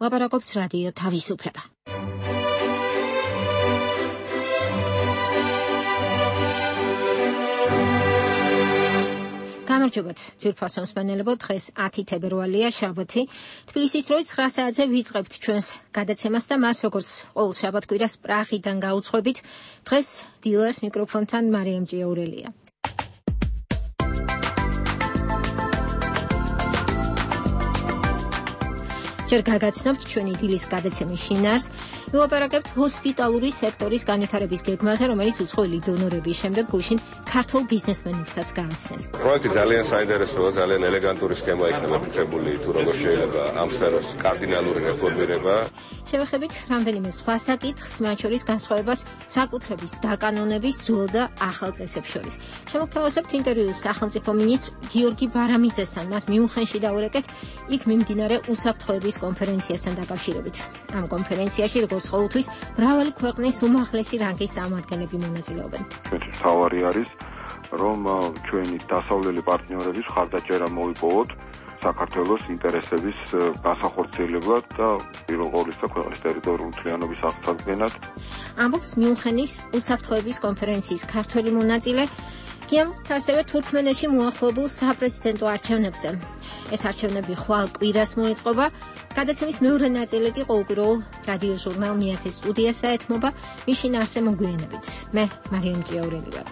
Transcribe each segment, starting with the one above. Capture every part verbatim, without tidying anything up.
ლაპარაკობს რადიო თავისუფლება. გამარჯობათ, ძვირფასო მსმენელებო, დღეს ათი თებერვალია, შაბათი. თბილისის დროით ცხრა საათზე ვიწყებთ ჩვენს გადაცემას და მას როგორც ყოველ შაბათ-კვირას პრაღიდან გაუძღვებით. დღეს დილას მიკროფონთან მარიამ ჭიაურელია. ჯერ გაგაცნობთ ჩვენი დილის გადაცემის შინაარს. ვილაპარაკებთ ჰოსპიტალური სექტორის განვითარების გეგმაზე, რომელიც უცხოელი დონორების შემდეგ გუშინ ქართულ ბიზნესმენებსაც გააცნეს. პროექტი ძალიან საინტერესოა, ძალიან ელეგანტური სქემა იქნება ფიქრებული, თუ როგორ შეიძლება ამ სფეროს კარდინალური რეფორმირება. შევეხებით რამდენიმე სხვა საკითხს, მათ შორის განსხვავებას საკუთრების დაკანონების ძველ და ახალ წესებს შორის. შემოგთავაზებთ ინტერვიუს სახელმწიფო მინისტრ გიორგი ბარამიძესთან, მას მიუნხენში დავურეკეთ, იქ მიმდინარე უსაფრთხოების კონფერენციასთან დაკავშირებით. ამ კონფერენციაში, როგორც ყოველთვის, მრავალი ქვეყნის უმაღლესი რანგის წარმომადგენლები მონაწილეობენ. ჩვენი სავარი არის, რომ ჩვენი დასავლელი პარტნიორების მხარდაჭერა მოიპოვოთ საქართველოს ინტერესების განსახორციელებლად და პირველ ყოვლისა ქვეყნის ტერიტორიული მთლიანობის აღწევად. ამბობს მიუნხენის უსაფრთხოების კონფერენციის ქართველი მონაწილე, გიამთ ასევე თურქმენეთში მოახლებულ საპრეზიდენტო არჩევნებზე. ეს არჩევნები ხვალ კვირას მოეწყობა. გადაცემის მეორე ნაწილი კი ყოველკვირეულ რადიო ჟურნალ მეათე სტუდიას დაეთმობა. მის შინაარსზე მოგვიანებით. მე მარიამ ჭიაურელი ვარ.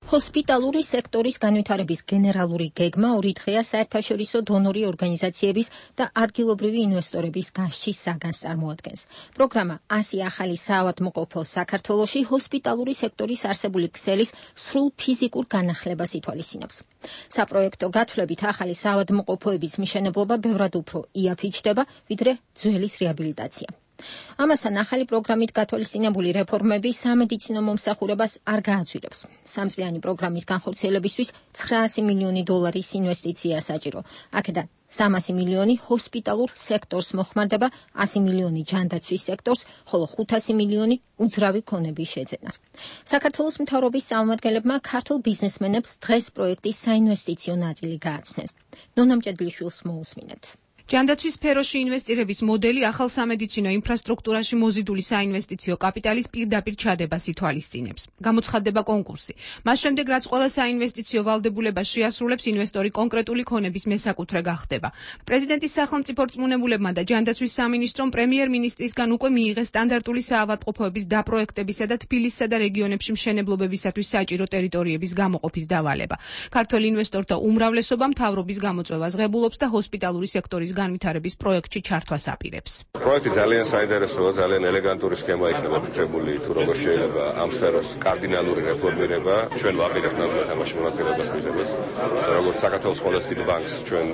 ჰოსპიტალური სექტორის განვითარების გენერალური გეგმა ორი დღეა საერთაშორისო დონორი ორგანიზაციების და ადგილობრივი ინვესტორების გასჩის საგანს წარმოადგენს. პროგრამა ასი ახალი საავადმყოფო საქართველოში ჰოსპიტალური სექტორის არსებული ქსელის სრულ ფიზიკურ განახლებას ითვალისწინებს. საპროექტო გათვლებით ახალი საავადმყოფოების მშენებლობა ბევრად უფრო იაფიჩდება, ვიდრე ძველის რეაბილიტაცია. ამასთან ახალი პროგრამით გათვალისწინებული რეფორმები სამედიცინო მომსახურებას არ გააძვირებს. სამწლიანი პროგრამის განხორციელებისთვის ცხრაასი მილიონი დოლარის ინვესტიცია საჭირო. აქედან სამასი მილიონი ჰოსპიტალურ სექტორს მოხმარდება, ასი მილიონი ჯანდაცვის სექტორს, ხოლო ხუთასი მილიონი უძრავი ქონების შეძენას. საქართველოს მთავრობის წარმომადგენლებმა ქართულ ბიზნესმენებს დღეს პროექტის საინვესტიციო ნაწილი გააცნეს. ნონა მჭედლიშვილს მოусმინეთ. ჯანდაცვის სფეროში ინვესტირების მოდელი ახალ სამედიცინო ინფრასტრუქტურაში მოზიდული საინვესტიციო კაპიტალის პირდაპირ ჩადებას ითვალისწინებს. გამოცხადდება კონკურსი. მას შემდეგ, რაც ყველა საინვესტიციო ვალდებულება შეასრულებს, ინვესტორი კონკრეტული ქონების მესაკუთრე გახდება. პრეზიდენტის სახელმწიფო რწმუნებულებმა და ჯანდაცვის სამინისტრომ პრემიერ-მინისტრისგან უკვე მიიღეს სტანდარტული საავადმყოფოების დაპროექტებისა და თბილისსა და რეგიონებში მშენებლობებისათვის საჭირო ტერიტორიების გამოყოფის დავალება. ქართველ ინვესტორთა უმრავლესობა მთავრობის გამოწვევას ღებულობს და ჰოსპიტალური სექტორის განვითარების პროექტში ჩართვას აპირებს. პროექტი ძალიან საინტერესოა, ძალიან ელეგანტური სქემა იქნება ფიქრებული, თუ როგორ შეიძლება ამ სფეროს კარდინალური რეფორმირება. ჩვენ ვაპირებთ ნამდვილად ამაში მონაწილეობას მიღებას. როგორც საქართველოს ყველაზე დიდ ბანკს, ჩვენ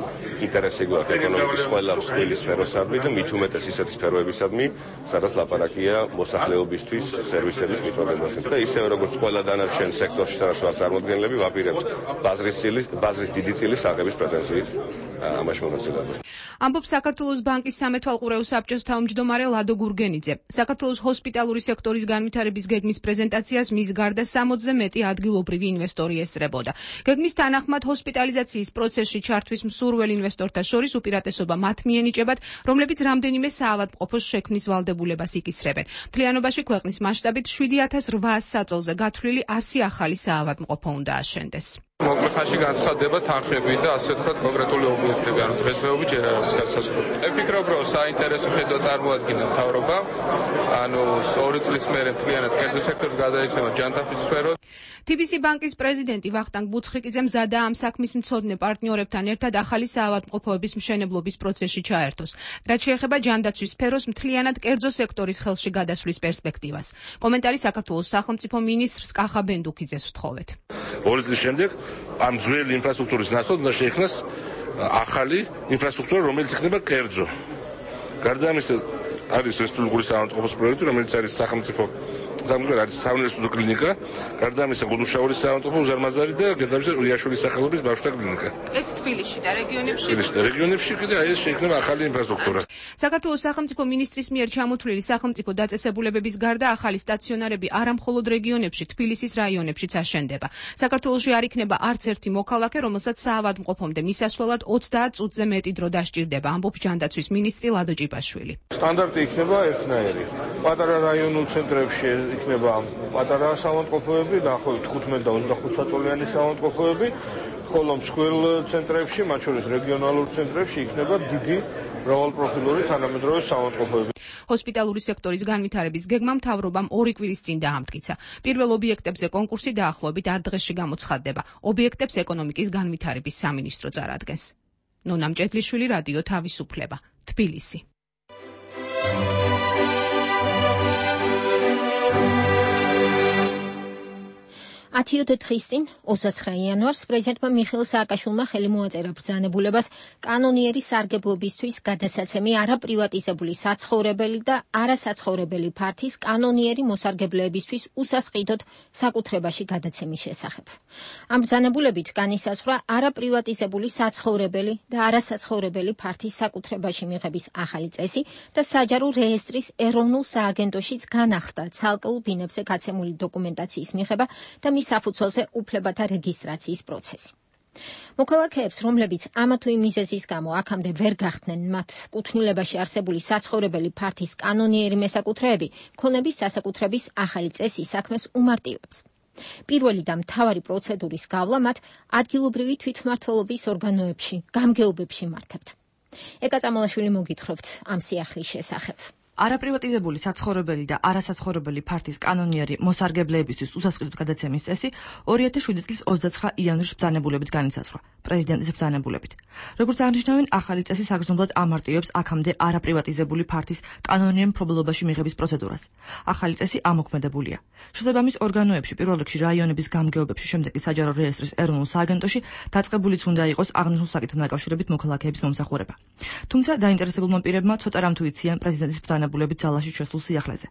ინტერესი გვაქვს ეკონომიკის ყველა მსხვილი სფეროსადმი და მით უმეტეს ისეთი სფეროებისადმი, სადაც ლაპარაკია მოსახლეობისთვის სერვისების მიწოდებაზე. და ისევე როგორც ყველა დანარჩენ სექტორში, სადაც ვართ წარმოდგენილები, ვაპირებთ ბაზრის წილის, ბაზრის დიდი წილის აღების პრეტენზიით ამაში მონაწილეობას. ამბობს საქართველოს ბანკის სამეთვალყურეო საბჭოს თავმჯდომარე ლადო გურგენიძე. საქართველოს ჰოსპიტალური სექტორის განვითარების გეგმის პრეზენტაციას მის გარდა სამოცზე მეტი ადგილობრივი ინვესტორი ესწრებოდა. გეგმის თანახმად ჰოსპიტალიზაციის პროცესში ჩართვის მსურველ ინვესტორთა შორის უპირატესობა მათ მიენიჭებათ, რომლებიც რამდენიმე საავადმყოფოს შექმნის ვალდებულებას იკისრებენ. მთლიანობაში ქვეყნის მასშტაბით შვიდი ათას რვაას საწოლზე გათვლილი ასი ახალი საავადმყოფო უნდა აშენდეს. მოკლე ხანში განცხადდება თანხები და ასე ვთქვათ კონკრეტული ობიექტები, ანუ დღესდღეობით ჯერ არ არის განსაზღვრული. მე ვფიქრობ, რომ საინტერესო ხედვა წარმოადგინა მთავრობა, ანუ ორი წლის მერე მთლიანად კერძო სექტორს გადაეცემა ჯანდაცვის სფერო. თი ბი სი ბანკის პრეზიდენტი ვახტანგ ბუცხრიკიძე მზადაა ამ საქმის მცოდნე პარტნიორებთან ერთად ახალი საავადმყოფოების მშენებლობის პროცესში ჩაერთოს. რაც შეეხება ჯანდაცვის სფეროს მთლიანად კერძო სექტორის ხელში გადასვლის პერსპექტივას. კომენტარი საქართველოს სახელმწიფო მინისტრს კახა ბენდუქიძეს ვთხოვეთ. ორი წლის შემდეგ ამ ძველი ინფრასტრუქტურის ნაცვლად უნდა შეიქმნას ახალი ინფრასტრუქტურა, რომელიც იქნება კერძო. გარდა ამისა არის რესპუბლიკური საავადმყოფოს პროექტი, რომელიც არის სახელმწიფო სამგერ არის საუნივერსიტეტო კლინიკა, გარდა ამისა გუდუშაურის საავადმყოფო უზარმაზარი და გედავის რიაშვილის სახელობის ბავშვთა კლინიკა. ეს თბილისში და რეგიონებში? თბილისში და რეგიონებში კიდე აი ეს შეიქმნება ახალი ინფრასტრუქტურა. საქართველოს სახელმწიფო მინისტრის მიერ ჩამოთვლილი სახელმწიფო დაწესებულებების გარდა ახალი სტაციონარები არა მხოლოდ რეგიონებში, თბილისის რაიონებშიც აშენდება. საქართველოში არ იქნება არც ერთი მოქალაქე, რომელსაც საავადმყოფომდე მისასვლელად ოცდაათ წუთზე მეტი დრო დასჭირდება, ამბობს ჯანდაცვის მინისტრი ლადო ჭიპაშვილი. სტანდარტი იქნება ერთნაირი. პატარა რაიონულ ცენტრებში იქნება პატარა საავადმყოფოები, დაახლოებით თხუთმეტ და ოცდახუთ საწოლიანი საავადმყოფოები, ხოლო მსხვილ ცენტრებში, მათ შორის რეგიონალურ ცენტრებში იქნება დიდი მრავალპროფილური თანამედროვე საავადმყოფოები. ჰოსპიტალური სექტორის განვითარების გეგმა მთავრობამ ორი კვირის წინ დაამტკიცა. პირველ ობიექტებზე კონკურსი დაახლოებით ათ დღეში გამოცხადდება. ობიექტებს ეკონომიკის განვითარების სამინისტრო წარადგენს. ნონა მჭედლიშვილი, რადიო თავისუფლება, თბილისი. ათიოდე დღის წინ, ოცდაცხრა იანვარს, პრეზიდენტმა მიხეილ სააკაშვილმა ხელი მოაწერა ბრძანებულებას კანონიერი სარგებლობისთვის გადასაცემი არაპრივატიზებული საცხოვრებელი და არასაცხოვრებელი ფართის კანონიერი მოსარგებლეებისთვის უსასყიდოდ საკუთრებაში გადაცემის შესახებ. ამ ბრძანებულებით განისაზღვრა არაპრივატიზებული საცხოვრებელი და არასაცხოვრებელი ფართის საკუთრებაში მიღების ახალი წესი და საჯარო რეესტრის ეროვნულ სააგენტოშიც განახდა ცალკეულ ბინებზე გაცემული დოკუმენტაციის მიღება და საფუძველზე უფლებათა რეგისტრაციის პროცესი. მოქალაქეებს, რომლებიც ამა თუ იმ მიზეზის გამო აქამდე ვერ გახდნენ მათ კუთვნილებაში არსებული საცხოვრებელი ფართის კანონიერი მესაკუთრეები, ქონების სასაკუთრების ახალი წესი საქმეს უმარტივებს. პირველი და მთავარი პროცედურის გავლა მათ ადგილობრივი თვითმმართველობის ორგანოებში, გამგეობებში მართავთ. ეკა წამალაშვილი მოგითხრობთ ამ სიახლის შესახებ. არაპრივატიზებული საცხოვრებელი და არასაცხოვრებელი ფართის კანონიერი მოსარგებლეებისთვის უსასყიდოდ გადაცემის წესი ორი ათას შვიდი წლის ოცდაცხრა იანვრის ბრძანებულებით განიცაზღვრა, პრეზიდენტის ბრძანებულებით. როგორც აღნიშნავენ, ახალი წესი საგრძნობლად ამარტივებს აქამდე არაპრივატიზებული ფართის კანონიერ მფლობელობაში მიღების პროცედურას. ახალი წესი ამოქმედებულია. შესაბამის ორგანოებში, პირველ რიგში რაიონების გამგეობებში, შემდეგ კი საჯარო რეესტრის ეროვნულ სააგენტოში დაწყებულიც უნდა იყოს აღნიშნულ საკითხთან დაკავშირებით მოქალაქეების მომსახურება. თუმცა დაინტერესებულმა პირებმა ცოტა რამ თუ იციან პრეზიდენტის ბრძანებულებით ძალაში შესულ სიახლეზე.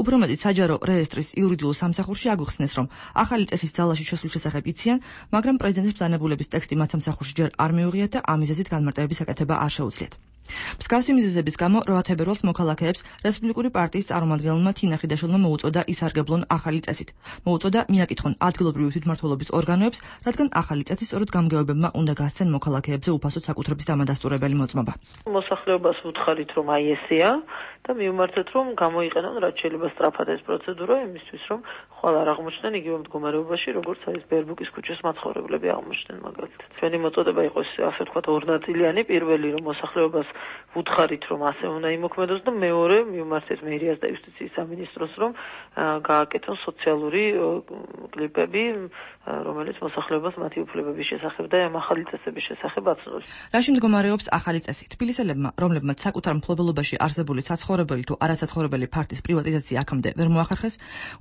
უფრო მეტიც საჯარო რეესტრის იურიდიულ სამსახურში აგვიხსნეს, რომ ახალი წესის ძალაში შესულ შესახებ იციან, მაგრამ პრეზიდენტის ბრძანებულების ტექსტი მათ სამსახურში ჯერ არ მიუღიათ და ამ მიზეზით განმარტებების გაკეთება არ შეუძლიათ. მსგავსი მიზეზების გამო რვა თებერვალს მოქალაქეებს რესპუბლიკური პარტიის წარმომადგენელმა თინა ხიდაშვილმა მოუწოდა ისარგებლონ ახალი წესით. მოუწოდა მიაკითხონ ადგილობრივი თვითმმართველობის ორგანოებს, რადგან ახალი წესი სწორედ გამგეობებმა უნდა გასცენ მოქალაქეებზე უფასოდ საკუთრების დამადასტურებელი მოწმობა. მოსახლეობას უთხარით, რომ აი ესეა და მივმართეთ, რომ გამოიყენონ რაც შეიძლება სწრაფად ეს პროცედურა იმისთვის, რომ ხვალ არ აღმოჩნდნენ იგივე მდგომარეობაში, როგორც არის ბერბუკის ქუჩის მაცხოვრებლები აღმოჩნდნენ მაგალითად. ჩვენი მოწოდება იყო ასე ვთქვათ ორნაწილიანი, პირველი რომ მოსახლეობას უთხარით, რომ ასე უნდა იმოქმედოს და მეორე მივმართეთ მერიას და იუსტიციის სამინისტროს, რომ გააკეთონ სოციალური კლიპები, რომელიც მოსახლეობას მათი უფლებების შესახებ და ამ ახალი წესების შესახებ აცნობს. რაში მდგომარეობს ახალი წესი? თბილისელებმა, რომლებმაც საკუთარ მფლობელობაში არსებული საცხოვრებელი თუ არასაცხოვრებელი ფართის პრივატიზაცია აქამდე ვერ მოახერხეს,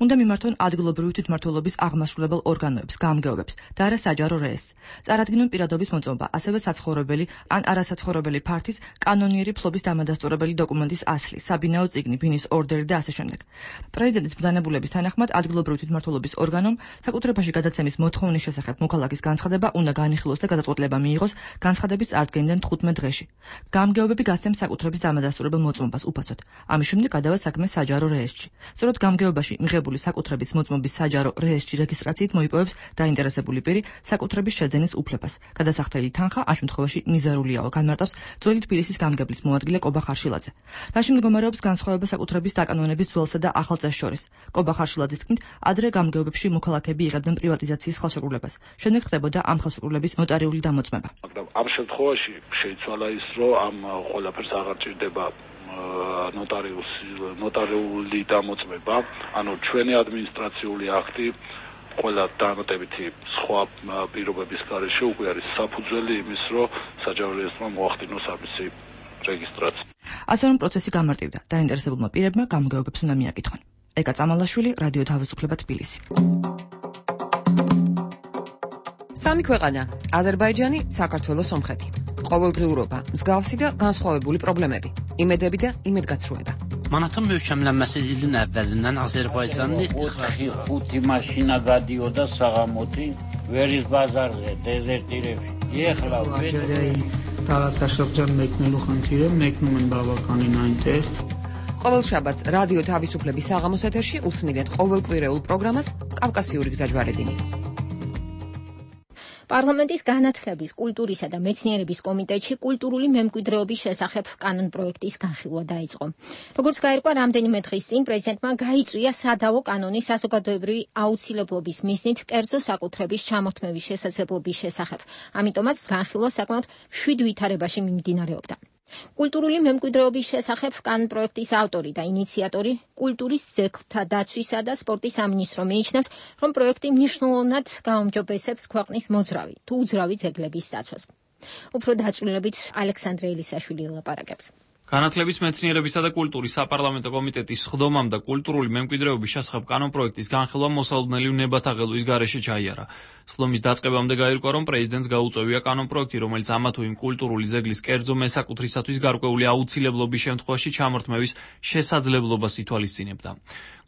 უნდა მიმართონ ადგილობრივი თვითმმართველობის აღმასრულებელ ორგანოებს, გამგეობებს და არა საჯარო რეესტრს. წარადგინონ პირადობის მოწმობა, ასევე საცხოვრებელი ან არასაცხოვრებელი ფართის კანონიერი ფლობის დამადასტურებელი დოკუმენტის ასლი, საბინაო წიგნი, ბინის ორდერი და ასე შემდეგ. პრეზიდენტის ბრძანებულების თანახმად ადგილობრივი თვითმმართველობის ორგანომ საკუთრებაში გადაცემის მოთხოვნის შესახებ მოქალაქის განცხადება უნდა განიხილოს და გადაწყვეტილება მიიღოს განცხადების წარდგენიდან თხუთმეტ დღეში. გამგეობები გასცემს საკუთრების დამადასტურებელ მოწმობას უფასოდ. ამის შემდეგ გადავა საქმე საჯარო რეესტრში. სწორედ გამგეობაში მიღებული საკუთრების მოწმობის საჯარო რეესტრში რეგისტრაციით მოიპოვებს დაინტერესებული პირი საკუთრების შეძენის უფლებას. გადასახდელი თანხა ამ შემთხვევაში მიზერულიაო, განმარტავს ძველი თბილისის გამგებლის მოადგილე კობა ხარშილაძე. რაში მდგომარეობს განსხვავება საკუთრების დაკანონების ძველსა და ახალ წესს შორის? კობა ხარშილაძის თქმით, ადრე გამგეობებში მოქალაქეები იღებდნენ პრივატიზაციის ხელშეკრულებას. შემდეგ ხდებოდა ამ ხელშეკრულების ნოტარიული დამოწმება. მაგრამ ამ შემთხვევაში შეიცვალა ის, რომ ამ ყველაფერს აღარ ჭირდება ნოტარიუსი ნოტარიული დამოწმება, ანუ ჩვენი ადმინისტრაციული აქტი ყველა დამატებითი სხვა პირობების გარეშე უკვე არის საფუძველი იმის, რომ საჯარო რეესტრმა მოახდინოს ამისი რეგისტრაცია. ასე რომ პროცესი გამარტივდა. დაინტერესებულმა პირებმა გამგეობებს უნდა მიაკითხონ. ეკა წამალაშვილი, რადიო თავისუფლება, თბილისი. სამი ქვეყანა: აზერბაიჯანი, საქართველო, სომხეთი. ყოველდღიურობა, მსგავსი და განსხვავებული პრობლემები, იმედები და იმედგაცრუება. Manatın möhkəmlənməsi ilin əvvəlindən Azərbaycanın ixtixracı ხუთი maşina გადიოდა საღამოთი ვერის ბაზარზე დეზერტირებში. ეხლა რაღაცა შეხჯან მეკნելու ხანთირე მეკնում են բավականին այնտեղ. ყოველ შაბათს რადიო თავისუფლების საღამოს ეთერში უსმენთ ყოველკვირეულ პროგრამას კავკასიური გზაჯვარედინი. პარლამენტის განათლების, კულტურისა და მეცნიერების კომიტეტში კულტურული მემკვიდრეობის შესახებ კანონპროექტის განხილვა დაიწყო. როგორც გაირკვა, რამდენიმე დღის წინ პრეზიდენტმა გაიწვია სადავო კანონი საზოგადოებრივი აუცილებლობის მიზნით კერძო საკუთრების ჩამორთმევის შესაძლებლობის შესახებ. ამიტომაც განხილვა საკმაოდ მშვიდ ვითარებაში მიმდინარეობდა. კულტურული მემკვიდრეობის შესახებ კანონპროექტის ავტორი და ინიციატორი კულტურის ძეგლთა დაცვისა და სპორტის სამინისტრო მიიჩნევს, რომ პროექტი მნიშვნელოვნად გაუმჯობესებს ქვეყნის მოძრავი თუ უძრავი ძეგლების დაცვას. უფრო დაწვრილებით ალექსანდრე ელისაშვილი ელაპარაკებს. განათლების, მეცნიერებისა და კულტურის საპარლამენტო კომიტეტის სხდომამ და კულტურული მემკვიდრეობის შესახებ კანონპროექტის განხილვა მოსალოდნელი ნებათაღელვის გარეშე ჩაიარა. სხდომის დაწყებამდე გაირკვა, რომ პრეზიდენტს გაუწევია კანონპროექტი, რომელიც ამა თუ იმ კულტურული ძეგლის კერძო მესაკუთრისათვის გარკვეული აუცილებლობის შემთხვევაში ჩამორთმევის შესაძლებლობას ითვალისწინებდა.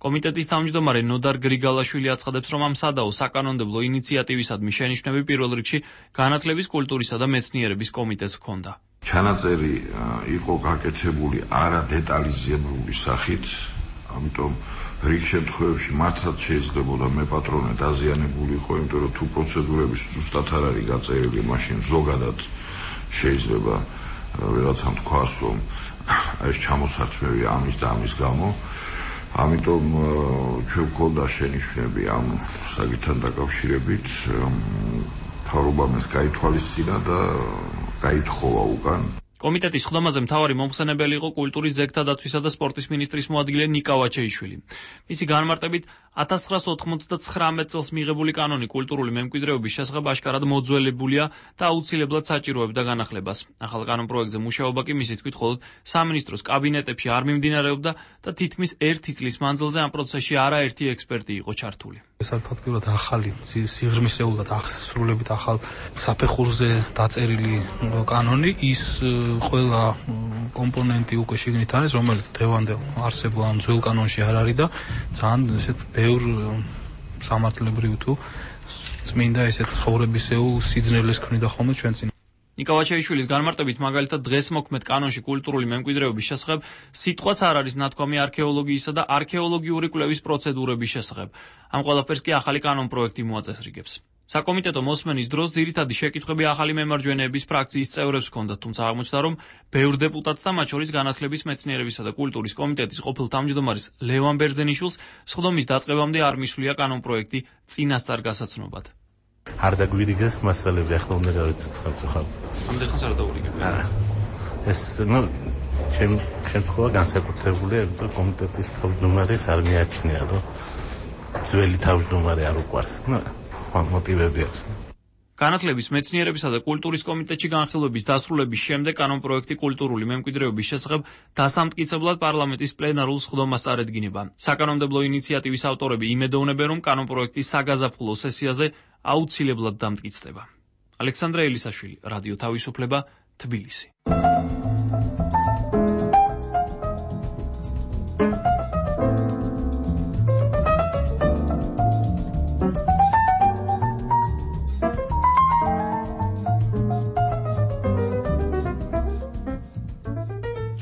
კომიტეტის თავმჯდომარე ნოდარ გრიგალაშვილი აცხადებს, რომ ამ სადაო საკანონმდებლო ინიციატივისადმი შენიშვნები პირველ რიგში განათლების, კულტურისა და მეცნიერების კომიტეტს ჰქონდა. ჩანაწერი იყო გაკეთებული არა დეტალიზებული სახით, ამიტომ რიგ შემთხვევებში მართლაც შეიძლებოდა მეპატრონე დაზიანებულიყო, იმიტომ რომ თუ პროცედურების ზუსტად არ არის გაწერილი, მაშინ ზოგადად შეიძლება ვიღაცამ თქვას, რომ ეს ჩამოსარცმევი ამის და ამის გამო. ამიტომ ჩვენ გვქონდა შენიშვნები ამ საკითხთან დაკავშირებით, მთავრობამ ეს გაითვალისწინა და გაითხოვა უკან. კომიტეტის სხდომაზე მთავარი მომხსენებელი იყო კულტურის ძეგლთა დაცვისა და სპორტის მინისტრის მოადგილე ნიკა ვაჩეიშვილი. მისი განმარტებით ათას ცხრაასა ოცდამოცდამე წელს მიღებული კანონი კულტურული მემკვიდრეობის შესახებ აშკარად მოძველებულია და აუცილებლად საჭიროებდა განახლებას. ახალ კანონპროექტზე მუშაობა კი მისი თქმით მხოლოდ სამინისტროს კაბინეტებში არ მიმდინარეობდა და თითქმის ერთი წლის მანძილზე ამ პროცესში არაერთი ექსპერტი იყო ჩართული. ეს არის ფაქტიურად ახალი, სიღრმისეულად აღსრულებით ახალ საფეხურზე დაწერილი კანონი, ის ყველა კომპონენტი უკვე შიგნით არის, რომელიც დღევანდელ არსებულ ამ ძველ კანონში არ არის და ძალიან ესეთ ბევრ სამართლებრივ თუ წმინდა ესეთ ცხოვრებისეულ სიძნელეს ქმნიდა ხოლმე ჩვენ წინ. ნიკა ვაჩეიშვილის განმარტებით მაგალითად დღეს მოქმედ კანონში კულტურული მემკვიდრეობის შესახებ სიტყვაც არ არის ნათქვამი არქეოლოგიისა და არქეოლოგიური კვლევის პროცედურების შესახებ. ამ ყველაფერს კი ახალი კანონპროექტი მოაწესრიგებს. საკომიტეტო მოსმენის დროს ძირითადი შეკითხვები ახალი მემარჯვენეების ფრაქციის წევრებს ჰქონდათ, თუმცა აღმოჩნდა, რომ ბევრ დეპუტატს და მათ შორის განათლების, მეცნიერებისა და კულტურის კომიტეტის ყოფილ თავმჯდომარის ლევან ბერძენიშვილს სხდომის დაწყებამდე არ მისვლია კანონპროექტი წინასწარ გასაცნობად. არ დაგვირიგეს მასალები, ახლა უნდა გავიცეთ სამწუხაროდ. ამდენ ხანს არ დაურიგებია. არა. ეს ნუ ჩემ შემთხვევა განსაკუთრებულია, რომ კომიტეტის თავმჯდომარეს არ მიაჩნია, რომ ძველი თავმჯდომარე არ უყვარს. ნუ სხვა მოტივები აქვს. განათლების, მეცნიერებისა და კულტურის კომიტეტში განხილვების დასრულების შემდეგ კანონპროექტი კულტურული მემკვიდრეობის შესახებ დასამტკიცებლად პარლამენტის პლენარულ სხდომას წარედგინება. საკანონმდებლო ინიციატივის ავტორები იმედოვნებენ, რომ კანონპროექტი საგაზაფხულო სესიაზე აუცილებლად დამტკიცდება. ალექსანდრე ელისაშვილი, რადიო თავისუფლება, თბილისი.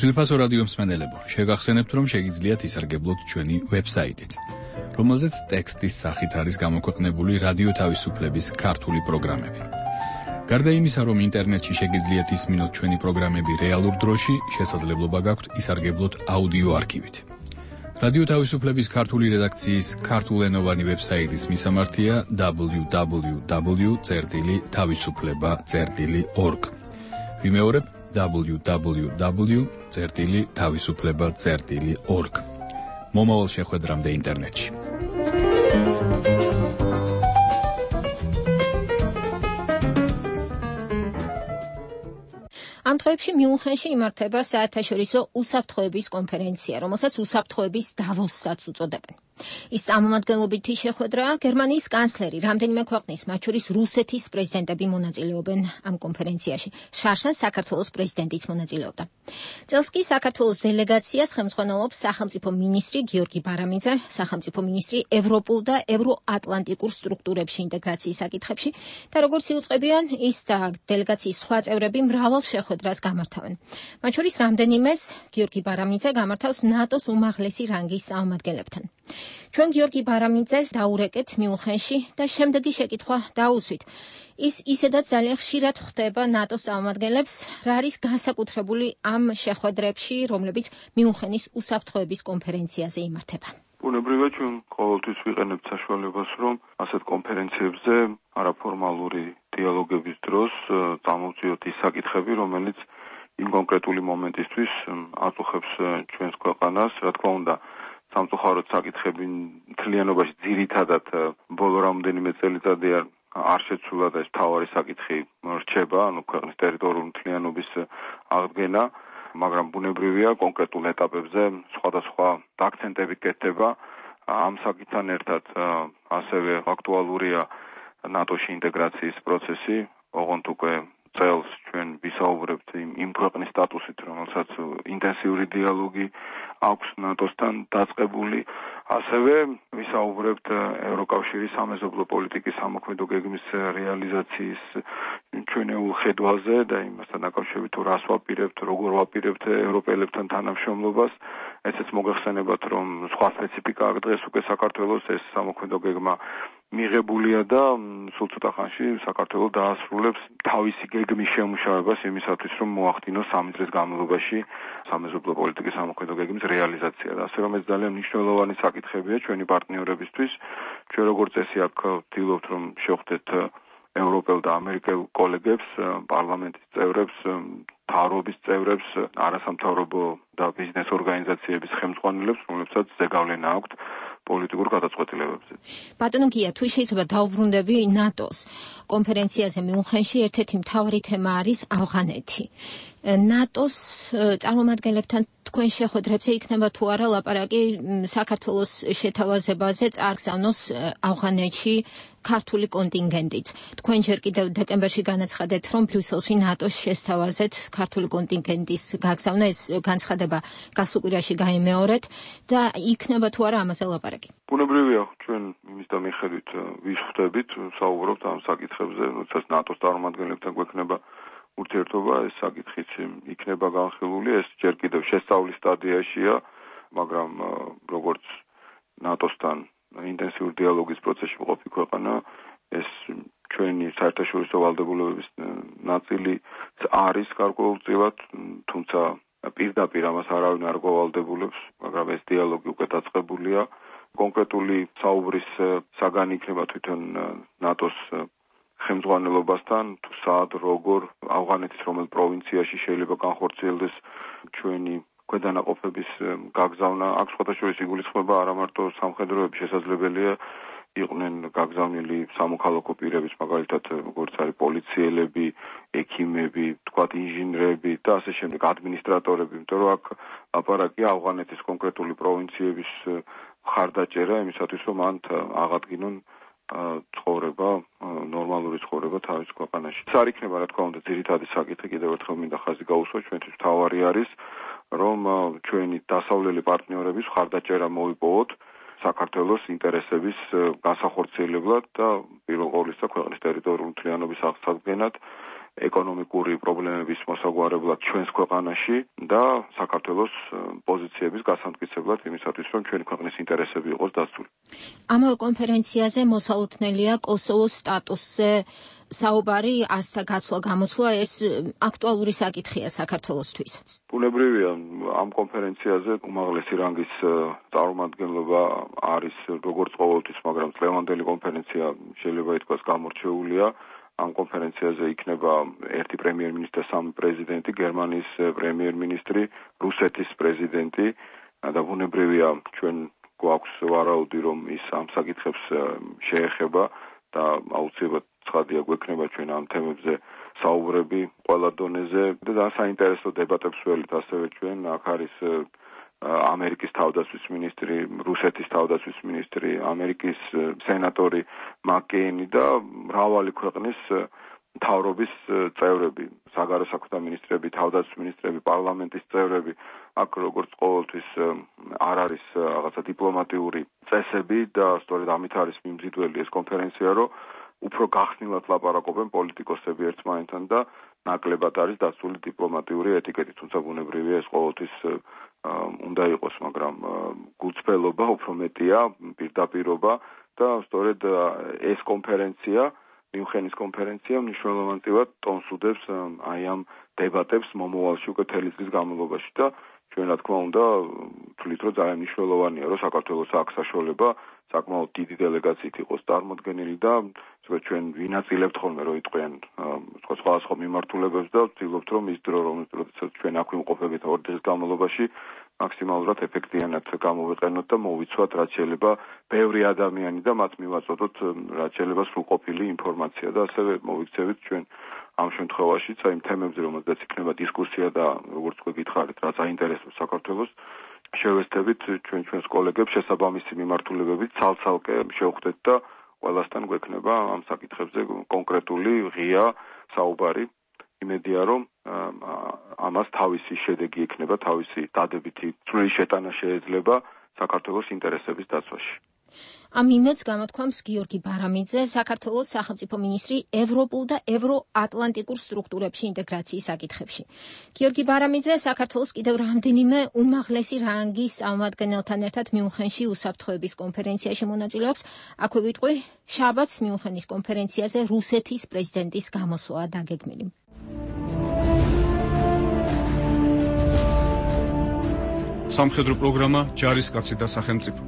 ძვირფასო რადიო მსმენელებო, შეგახსენებთ, რომ შეგიძლიათ ისარგებლოთ ჩვენი ვებსაიტით, რომელზეც ტექსტის სახით არის გამოქვეყნებული რადიო თავისუფლების ქართული პროგრამები. გარდა იმისა, რომ ინტერნეტში შეგიძლიათ ისმინოთ ჩვენი პროგრამები რეალურ დროში, შესაძლებლობა გაქვთ ისარგებლოთ აუდიო არქივით. რადიო თავისუფლების ქართული რედაქციის ქართულენოვანი ვებსაიტის მისამართია დაბლიუ დაბლიუ დაბლიუ წერტილი თავისუფლება წერტილი ორგ. ვიმეორებ დაბლიუ დაბლიუ დაბლიუ წერტილი თავისუფლება წერტილი ორგ. მომავალ შეხვედრამდე ინტერნეტში. ამ დღეებში მიუნხენში იმართება საერთაშორისო უსაფრთხოების კონფერენცია, რომელსაც უსაფრთხოების დავოსსაც უწოდებენ. ის წარმომადგენლობითი შეხვედრაა. გერმანიის კანცლერი, რამდენიმე ქვეყნის, მათ შორის რუსეთის პრეზიდენტები მონაწილეობენ ამ კონფერენციაში. შარშან საქართველოს პრეზიდენტიც მონაწილეობდა. წელს კი საქართველოს დელეგაციას ხელმძღვანელობს სახელმწიფო მინისტრი გიორგი ბარამიძე, სახელმწიფო მინისტრი ევროპულ და ევროატლანტიკურ სტრუქტურებში ინტეგრაციის საკითხებში და როგორც იუწყებიან, ის და დელეგაციის სხვა წევრები მრავალ შეხვედრას გამართავენ. მათ შორის რამდენიმეს გიორგი ბარამიძე გამართავს ნატოს უმაღლესი რანგის წარმომადგენლებთან. ჩვენ გიორგი ბარამიძეს დაურეკეთ მიუნხენში და შემდეგი შეკითხვა დაუსვით. ის ისედაც ძალიან ხშირად ხვდება ნატოს წარმომადგენლებს, რა არის განსაკუთრებული ამ შეხვედრებში, რომლებიც მიუნხენის უსაფრთხოების კონფერენციაზე იმართება. ბუნებრივია, ჩვენ ყოველთვის ვიყენებთ საშუალებას, რომ ასეთ კონფერენციებზე არაფორმალური დიალოგების დროს წამოვწიოთ ის საკითხები, რომელიც იმ კონკრეტული მომენტისთვის აწუხებს ჩვენს ქვეყანას, რა თქმა უნდა, სამწუხაროდ საკითხები მთლიანობაში ძირითადად ბოლო რამდენიმე წელიწადი არ შეცვლა და ეს მთავარი საკითხი რჩება, ანუ ქვეყნის ტერიტორიული მთლიანობის აღდგენა, მაგრამ ბუნებრივია კონკრეტულ ეტაპებზე სხვადასხვა აქცენტები კეთდება. ამ საკითხთან ერთად ასევე აქტუალურია ნატოში ინტეგრაციის პროცესი, ოღონდ უკვე წელს ჩვენ ვისაუბრებთ იმ ქვეყნის სტატუსით, რომელსაც ინტენსიური დიალოგი აქვს ნატოსთან დაწყებული. ასევე ვისაუბრებთ ევროკავშირის სამეზობლო პოლიტიკის სამოქმედო გეგმის რეალიზაციის ჩვენეულ ხედვაზე და იმასთან დაკავშირებით თუ რას ვაპირებთ, როგორ ვაპირებთ ევროპელებთან თანამშრომლობას. ესეც მოგეხსენებათ, რომ სხვა სპეციფიკა აქვს დღეს უკვე საქართველოს ეს სამოქმედო გეგმა მიღებულია და სულ ცოტა ხანში საქართველოს დაასრულებს თავისი გეგმის შემუშავებას იმისათვის, რომ მოახდინოს სამი წლის განმავლობაში სამეზობლო პოლიტიკის სამოქმედო გეგმის რეალიზაცია. ასე რომ ეს ძალიან მნიშვნელოვანი საკითხებია ჩვენი პარტნიორებისთვის. ჩვენ როგორც წესი აქ ვთილობთ, რომ შევხვდეთ ევროპელ და ამერიკელ კოლეგებს, პარლამენტის წევრებს, მთავრობის წევრებს, არასამთავრობო და ბიზნეს ორგანიზაციების ხელმძღვანელებს, რომლებსაც ზეგავლენა აქვთ პოლიტიკურ გადაწყვეტილებებზე. ბატონო გია, თუ შეიძლება დავუბრუნდები ნატოს კონფერენციაზე მიუნხენში, ერთ-ერთი მთავარი თემა არის ავღანეთი. ნატოს წარმომადგენლებთან თქვენ შეხვედრებზე იქნება თუ არა ლაპარაკი საქართველოს შეთავაზებაზე წარგზავნოს ავღანეთში ქართული კონტინგენტიც. თქვენ ჯერ კიდევ დეკემბერში განაცხადეთ, რომ ბრიუსელში ნატოს შესთავაზეთ ქართული კონტინგენტის გაგზავნა, ეს განცხადება გასულ კვირაში გაიმეორეთ და იქნება თუ არა ამაზე ლაპარაკი. ბუნებრივია, ჩვენ იმის და მიხედვით ვიხვდებით, საუბრობთ ამ საკითხებზე, როდესაც ნატოს წარმომადგენლებთან გვექნება ურთიერთობა, ეს საკითხიც იქნება განხილული, ეს ჯერ კიდევ შესწავლის სტადიაშია, მაგრამ როგორც ნატოსთან ინტენსიური დიალოგის პროცესში მყოფი ქვეყანა, ეს ჩვენი საერთაშორისო ვალდებულებების ნაწილი არის გარკვეულწილად, თუმცა პირდაპირ ამას არავინ არ გვავალდებულებს, მაგრამ ეს დიალოგი უკვე დაწყებულია. კონკრეტული საუბრის საგანი იქნება თვითონ ნატოს ხელმძღვანელობასთან, თუ სად, როგორ, ავღანეთის რომელ პროვინციაში შეიძლება განხორციელდეს ჩვენი ქვედანაყოფების გაგზავნა. აქ სხვადასხვა იგულისხმება არა მარტო სამხედროები, შესაძლებელია იყვნენ გაგზავნილი სამოქალაქო პირების, მაგალითად როგორც არის პოლიციელები, ექიმები, თქვათ ინჟინრები და ასე შემდეგ ადმინისტრატორები, იმიტომ რომ აქ ლაპარაკია ავღანეთის კონკრეტული პროვინციების მხარდაჭერა იმისათვის, რომ მან აღადგინონ ცხოვრება, ნორმალური ცხოვრება თავის ქვეყანაში. ეს არ იქნება, რა თქმა უნდა, ძირითადი საკითხი, კიდევ ერთხელ მინდა ხაზი გაუსვა, ჩვენთვის მთავარი არის, რომ ჩვენი დასავლელი პარტნიორების მხარდაჭერა მოიპოვოთ საქართველოს ინტერესების განსახორციელებლად და პირველ ყოვლისა ქვეყნის ტერიტორიული მთლიანობის აღსადგენად, ეკონომიკური პრობლემების მოსაგვარებლად ჩვენს ქვეყანაში და საქართველოს პოზიციების გასამტკიცებლად იმისათვის, რომ ჩვენი ქვეყნის ინტერესები იყოს დასწული. ამავე კონფერენციაზე მოსალოდნელია კოსოვოს სტატუსზე საუბარი, ასთა გაცვლა გამოცვლა, ეს აქტუალური საკითხია საქართველოსთვისაც. ბუნებრივია, ამ კონფერენციაზე უმაღლესი რანგის წარმომადგენლობა არის როგორც ყოველთვის, მაგრამ წლევანდელი კონფერენცია შეიძლება ითქვას გამორჩეულია. ამ კონფერენციაზე იქნება ერთი პრემიერ-მინისტრი, სამი პრეზიდენტი, გერმანიის პრემიერ-მინისტრი, რუსეთის პრეზიდენტი და ბუნებრივია, ჩვენ გვაქვს ვარაუდი, რომ ის ამ საკითხებს შეეხება და აუცილებლად ცხადია გვექნება ჩვენ ამ თემებზე საუბრები ყველა დონეზე და საინტერესო დებატებს ველით ასევე ჩვენ აქ არის ამერიკის თავდაცვის მინისტრი, რუსეთის თავდაცვის მინისტრი, ამერიკის სენატორი მაკეინი და მრავალი ქვეყნის მთავრობის წევრები, საგარეო საქმეთა მინისტრები, თავდაცვის მინისტრები, პარლამენტის წევრები, აქ როგორც ყოველთვის არ არის რაღაცა დიპლომატიური წესები და სწორედ ამით არის მიმზიდველი ეს კონფერენცია, რომ უფრო გახსნილად ლაპარაკობენ პოლიტიკოსები ერთმანეთთან და ნაკლებად არის დაცული დიპლომატიური ეტიკეტი, თუმცა ბუნებრივია ეს ყოველთვის უნდა იყოს, მაგრამ გულწრფელობა უფრო მეტია, პირდაპირობა და სწორედ ეს კონფერენცია, მიუნხენის კონფერენცია მნიშვნელოვანად ტონს უდევს აი ამ დებატებს მომავალში უკვე თელი წლის განმავლობაში და ჩვენ რა თქმა უნდა ვთვლით, რომ ძალიან მნიშვნელოვანია, რომ საქართველოს აქ საშუალება საკმაოდ დიდი დელეგაციით იყოს წარმოდგენილი და ჩვენ ვინაწილებთ ხოლმე რომ იტყვიან სხვადასხვა მიმართულებებს და ვცდილობთ რომ ის დრო რომელსაც ჩვენ აქ ვიმყოფებით ორი დღის განმავლობაში მაქსიმალურად ეფექტიანად გამოვიყენოთ და მოვიცვათ რაც შეიძლება ბევრი ადამიანი და მათ მივაწოდოთ რაც შეიძლება სრულყოფილი ინფორმაცია და ასევე მოვიქცევით ჩვენ ამ შემთხვევაშიც აი თემებზე რომელზეც იქნება დისკუსია და როგორც თქვი გითხარით რაც აინტერესებს საქართველოს შევესწრებით ჩვენ ჩვენს კოლეგებს შესაბამისი მიმართულებებით ცალ-ცალკე შევხვდეთ და ყველასთან გვექნება ამ საკითხებზე კონკრეტული ღია საუბარი იმედია რომ ამას თავისი შედეგი ექნება თავისი დადებითი წვრილი შეტანა შეიძლება საქართველოს ინტერესების დაცვაში. ამ იმედს გამოთქვამს გიორგი ბარამიძე, საქართველოს სახელმწიფო მინისტრი ევროპულ და ევროატლანტიკურ სტრუქტურებში ინტეგრაციის საკითხებში. გიორგი ბარამიძე საქართველოს კიდევ რამდენიმე უმაღლესი რანგის წარმომადგენელთან ერთად მიუნხენში უსაფრთხოების კონფერენციაში მონაწილეობს. აქვე ვიტყვი, შაბათს მიუნხენის კონფერენციაზე რუსეთის პრეზიდენტის გამოსვლაა დაგეგმილი. სამხედრო პროგრამა ჯარისკაცი და სახელმწიფო.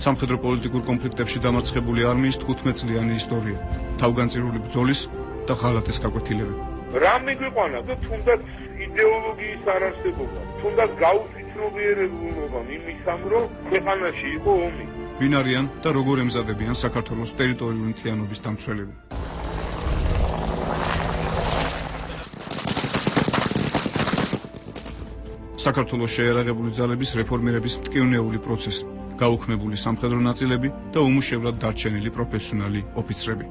სამხედრო პოლიტიკურ კონფლიქტებში დამარცხებული არმიის თხუთმეტ წლიანი ისტორია, თავგანწირული ბრძოლის და ღალატის გაკვეთილები. რა მიგვიყვანა და თუნდაც იდეოლოგიის არარსებობა, თუნდაც გაუცნობიერებულობა იმისამ, რომ ქვეყანაში იყო ომი. ვინ არიან და როგორ ემზადებიან საქართველოს ტერიტორიული მთლიანობის დამცველები. საქართველოს შეიარაღებული ძალების რეფორმირების მტკივნეული პროცესი, გაუქმებული სამხედრო ნაწილები და უმუშევრად დარჩენილი პროფესიონალი ოფიცრები.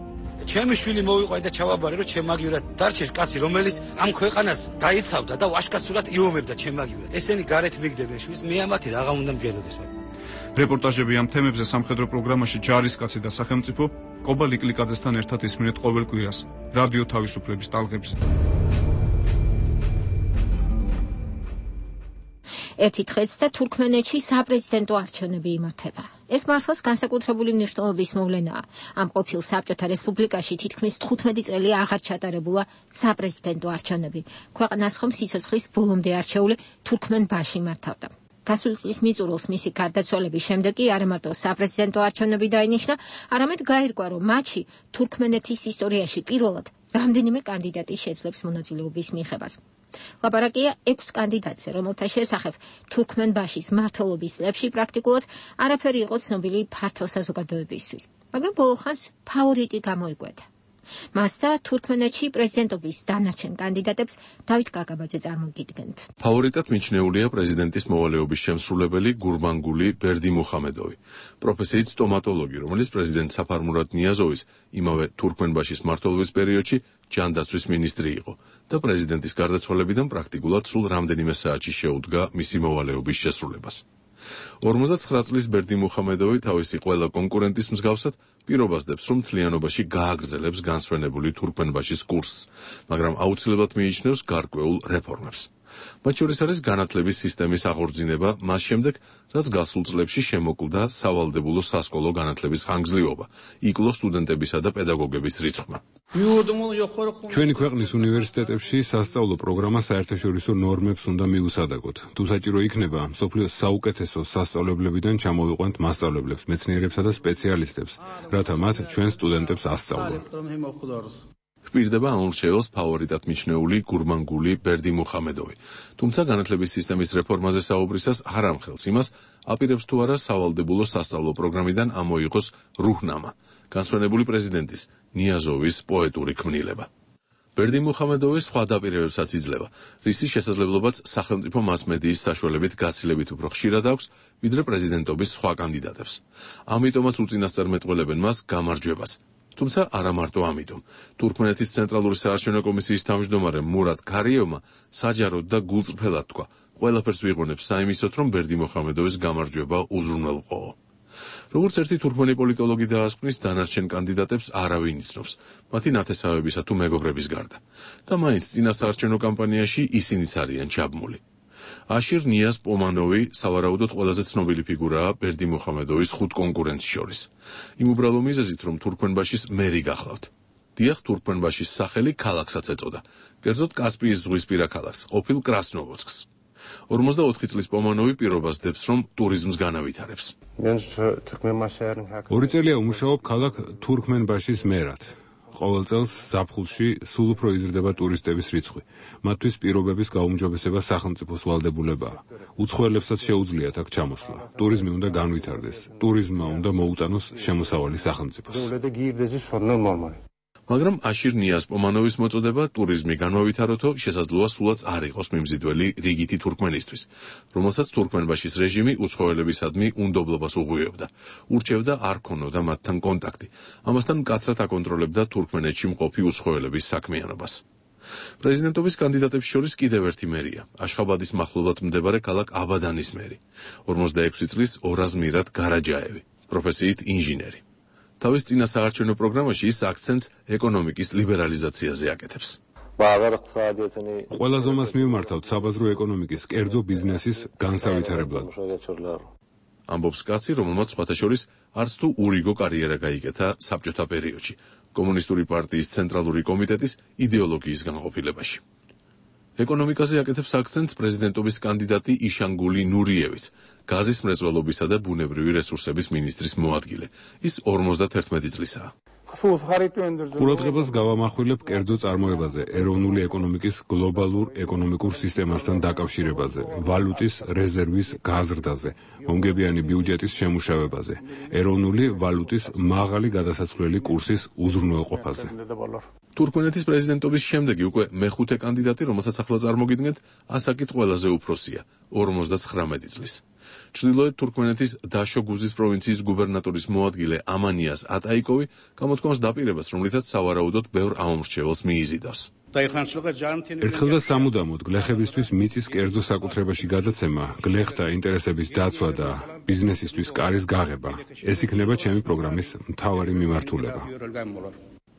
ჩემი შვილი მოვიყვაი და ჩავაბარე, რომ ჩემაგივრად დარჩეს კაცი, რომელიც ამ ქვეყანას დაიცავდა და ვაშკაცურად იომებდა ჩემაგივრად. ესენი გარეთ მიგდებენ შვილს, მე ამათი რაღა უნდა მჯეროდეს მათ. რეპორტაჟები ამ თემებზე სამხედრო პროგრამაში ჯარისკაცი და სახელმწიფო კობა ლიკლიკაძესთან ერთად ისმინეთ ყოველ კვირას რადიო თავისუფლების ტალღებზე. ერთი დღეც და თურქმენეთში საპრეზიდენტო არჩევნები იმართება. ეს მართლაც განსაკუთრებული მნიშვნელობის მოვლენაა. ამ ყოფილ საბჭოთა რესპუბლიკაში თითქმის თხუთმეტი წელი აღარ ჩატარებულა საპრეზიდენტო არჩევნები. ქვეყანას ხომ სიცოცხლის ბოლომდე არჩეული თურქმენბაში მართავდა. გასული წლის მიწურულს მისი გარდაცვალების შემდეგ კი არა მარტო საპრეზიდენტო არჩევნები დაინიშნა, არამედ გაირკვა, რომ მათში თურქმენეთის ისტორიაში პირველად რამდენიმე კანდიდატი შეძლებს მონაწილეობის მიღებას. ლაპარაკია ექვს კანდიდატზე, რომელთა შესახებ თურქმენბაშის მმართველობის წლებში პრაქტიკულად არაფერი იყო ცნობილი ფართო საზოგადოებისთვის, მაგრამ ბოლო ხანს ფავორიტი გამოიკვეთა. მას და თურქმენეთში პრეზიდენტობის დანარჩენ კანდიდატებს დავით გაგაბაძე წარმოგიდგენთ. ფავორიტად მიჩნეულია პრეზიდენტის მოვალეობის შემსრულებელი გურბანგული ბერდიმუხამედოვი, პროფესიით სტომატოლოგი, რომელიც პრეზიდენტ საფარ მურად ნიაზოვის იმავე თურქმენბაშის მმართველობის პერიოდში ჯანდაცვის მინისტრი იყო და პრეზიდენტის გარდაცვალებიდან პრაქტიკულად სულ რამდენიმე საათში შეუდგა მისი მოვალეობის შესრულებას. ორმოცდაცხრა წლის ბერდიმუხამედოვი თავისი ყველა კონკურენტის მსგავსად პირობას დებს, რომ მთლიანობაში გააგრძელებს განსვენებული თურქმენბაშის კურსს, მაგრამ აუცილებლად მიიჩნევს გარკვეულ რეფორმებს. მათ შორის არის განათლების სისტემის აღორძინება მას შემდეგ, რაც გასულ წლებში შემოკლდა სავალდებულო სასკოლო განათლების ხანგრძლივობა, იკლო სტუდენტებისა და პედაგოგების რიცხვმა. ჩვენი ქვეყნის უნივერსიტეტებში სასწავლო პროგრამა საერთაშორისო ნორმებს უნდა მიუსადაგოთ. თუ საჭირო იქნება, მსოფლიოს საუკეთესო სასწავლებლებიდან ჩამოვიყვანთ მასწავლებლებს, მეცნიერებსა და სპეციალისტებს, რათა მათ ჩვენ სტუდენტებს ასწავლონ. ჰპირდება ამ რჩევას ფავორიტად მიჩნეული გურბანგული ბერდიმუხამედოვი. თუმცა განათლების სისტემის რეფორმაზე საუბრისას არ ამხელს იმას, აპირებს თუ არა სავალდებულო სასწავლო პროგრამიდან ამოიღოს რუჰნამა, განსვენებული პრეზიდენტის ნიაზოვის პოეტური ქმნილება. ბერდიმუხამედოვის სხვა დაპირებებსაც იძლევა, რისის შესაძლებლობაც სახელმწიფო მასმედიის საშუალებით გაცილებით უფრო ხშირად აქვს, ვიდრე პრეზიდენტობის სხვა კანდიდატებს. ამიტომაც უწინასწარმეტყველებენ მას გამარჯვებას. თუმცა არა მარტო ამიტომ. თურქმენეთის ცენტრალური საარჩევნო კომისიის თავმჯდომარე მურად ქარიევმა საჯაროდ და გულწრფელად თქვა, ყველაფერს ვიღუნებს საიმისოთ, რომ ბერდიმუხამედოვის გამარჯვება უზრუნველყოო. როგორც ერთი თურქმენი პოლიტოლოგი დაასკვნის, დანარჩენ კანდიდატებს არავინ იცნობს, მათი ნათესავებისა თუ მეგობრების გარდა. და მაინც წინა საარჩევნო კამპანიაში ისინიც არიან ჩაბმული. აშირ ნიაზ პომანოვი სავარაუდოდ ყველაზე ცნობილი ფიგურაა ბერდიმუხამედოვის ხუთ კონკურენტს შორის. იმ უბრალო მიზეზით, რომ თურქმენბაშის მერი გახლავთ. დიახ, თურქმენბაშის სახელი ქალაქსაც ეწოდა, კერძოდ კასპიის ზღვისპირა ქალაქს, ყოფილ კრასნოვოდსკს. ორმოცდაოთხი წლის პომანოვი პირობას დებს, რომ ტურიზმს განავითარებს. ორი წელია უმუშაობ ქალაქ თურქმენბაშის მერად. ყოველ წელს ზაფხულში სულ უფრო იზრდება ტურისტების რიცხვი. მათთვის პირობების გაუმჯობესება სახელმწიფოს ვალდებულებაა. უცხოელებსაც შეუძლიათ აქ ჩამოსვლა. ტურიზმი უნდა განვითარდეს. ტურიზმმა უნდა მოუტანოს შემოსავალი სახელმწიფოს. მაგრამ აშირ ნიაზ პომანოვის მოწოდება ტურიზმი განმავითაროთო შესაძლოა სულაც არ იყოს მიმზიდველი რიგითი თურქმენისთვის, რომელსაც თურქმენბაშის რეჟიმი უცხოელებისადმი უნდობლობას უღვივებდა, ურჩევდა არ ქონოდა მათთან კონტაქტი, ამასთან მკაცრად აკონტროლებდა თურქმენეთში მყოფი უცხოელების საქმიანობას. პრეზიდენტობის კანდიდატებს შორის კიდევ ერთი მერია, აშხაბადის მახლობლად მდებარე ქალაქ აბადანის მერი, ორმოცდაექვსი წლის ორაზ მირად გარაჯაევი, პროფესიით ინჟინერი. თავის წინა საარჩევნო პროგრამაში ის აქცენტს ეკონომიკის ლიბერალიზაციაზე აკეთებს. ყველა ზომას მივმართავთ საბაზრო ეკონომიკის, კერძო ბიზნესის განსავითარებლად. ამბობს კაცი, რომელმაც სხვათა შორის არც თუ ურიგო კარიერა გაიკეთა საბჭოთა პერიოდში, კომუნისტური პარტიის ცენტრალური კომიტეტის იდეოლოგიის განყოფილებაში. ეკონომიკაზე აკეთებს აქცენტს პრეზიდენტობის კანდიდატი იშანგული ნურიევიც, გაზის მრეწველობისა და ბუნებრივი რესურსების მინისტრის მოადგილე. ის ორმოცდაერთმეტი წლისაა. ყურადღებას გავამახვილებ კერძო წარმოებაზე, ეროვნული ეკონომიკის გლობალურ ეკონომიკურ სისტემასთან დაკავშირებაზე, ვალუტის რეზერვის გაზრდაზე, მომგებიანი ბიუჯეტის შემუშავებაზე, ეროვნული ვალუტის მაღალი გადასაცვლელი კურსის უზრუნველყოფაზე. თურქმენეთის პრეზიდენტობის შემდეგი უკვე მეხუთე კანდიდატი, რომელსაც ახლა წარმოგიდგენთ, ასაკით ყველაზე უფროსია, ორმოცდათხრამეტი წლის. ჩრდილოეთ თურქმენეთის დაშოგუზის პროვინციის გუბერნატორის მოადგილე ამანიას ატაიკოვი გამოთქვამს დაპირებას, რომლითაც სავარაუდოდ ბევრ ამომრჩეველს მიიზიდავს. ერთხელ და სამუდამოდ გლეხებისთვის მიწის კერძო საკუთრებაში გადაცემა, გლეხთა ინტერესების დაცვა და ბიზნესისთვის კარის გაღება, ეს იქნება ჩემი პროგრამის მთავარი მიმართულება.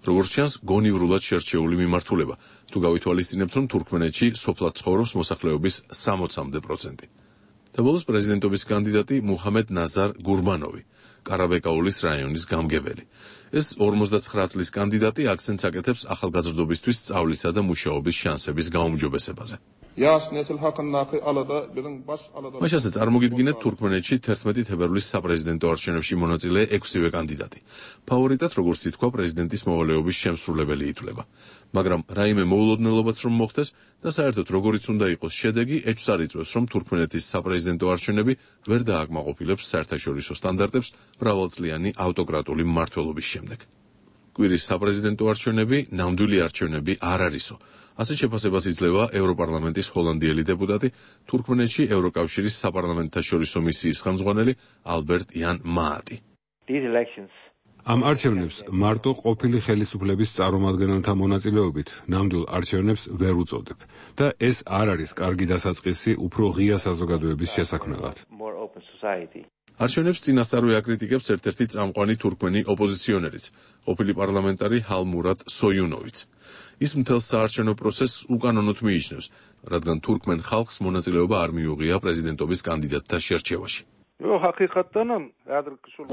როგორც ჩანს, გონივრულად შერჩეული მიმართულება, თუ გავითვალისწინებთ, რომ თურქმენეთში სოფლად ცხოვრობს მოსახლეობის სამოცამდე პროცენტი. და ბოლოს პრეზიდენტობის კანდიდატი მუჰამედ ნაზარ გურბანოვი, კარაბეკაულის რაიონის გამგებელი. ეს ორმოცდაცხრა წლის კანდიდატი აქცენტს აკეთებს ახალგაზრდობისთვის სწავლისა და მუშაობის შანსების გაუმჯობესებაზე. მაშ ასე წარმოგიდგინეთ თურქმენეთში თერთმეტი თებერვლის საპრეზიდენტო არჩევნებში მონაწილე ექვსივე კანდიდატი. ფავორიტად, როგორც ითქვა, პრეზიდენტის მოვალეობის შემსრულებელი ითვლება. მაგრამ რაიმე მოულოდნელობაც რომ მოხდეს და საერთოდ როგორიც უნდა იყოს შედეგი, ეჭვს არ იწვევს, რომ თურქმენეთის საპრეზიდენტო არჩევნები ვერ დააკმაყოფილებს საერთაშორისო სტანდარტებს მრავალწლიანი ავტოკრატული მმართველობის შემდეგ. კვირის საპრეზიდენტო არჩევნები ნამდვილი არჩევნები არ არისო. ასე შეფასებას იძლევა ევროპარლამენტის ჰოლანდიელი დეპუტატი, თურქმენეთში ევროკავშირის საპარლამენტთაშორისო მისიის ხელმძღვანელი ალბერტ იან მაატი. ამ არჩევნებს მარტო ყოფილი ხელისუფლების წარმომადგენელთა მონაწილეობით ნამდვილ არჩევნებს ვერ უწოდებ და ეს არ არის კარგი დასაწყისი უფრო ღია საზოგადოების შესაქმნელად. არჩევნებს წინასწარვე აკრიტიკებს ერთ-ერთი წამყვანი თურქმენი ოპოზიციონერიც, ყოფილი პარლამენტარი ჰალმურატ სოიუნოვიც. ის მთელ საარჩევნო პროცესს უკანონოდ მიიჩნევს, რადგან თურქმენ ხალხს მონაწილეობა არ მიუღია პრეზიდენტობის კანდიდატთა შერჩევაში.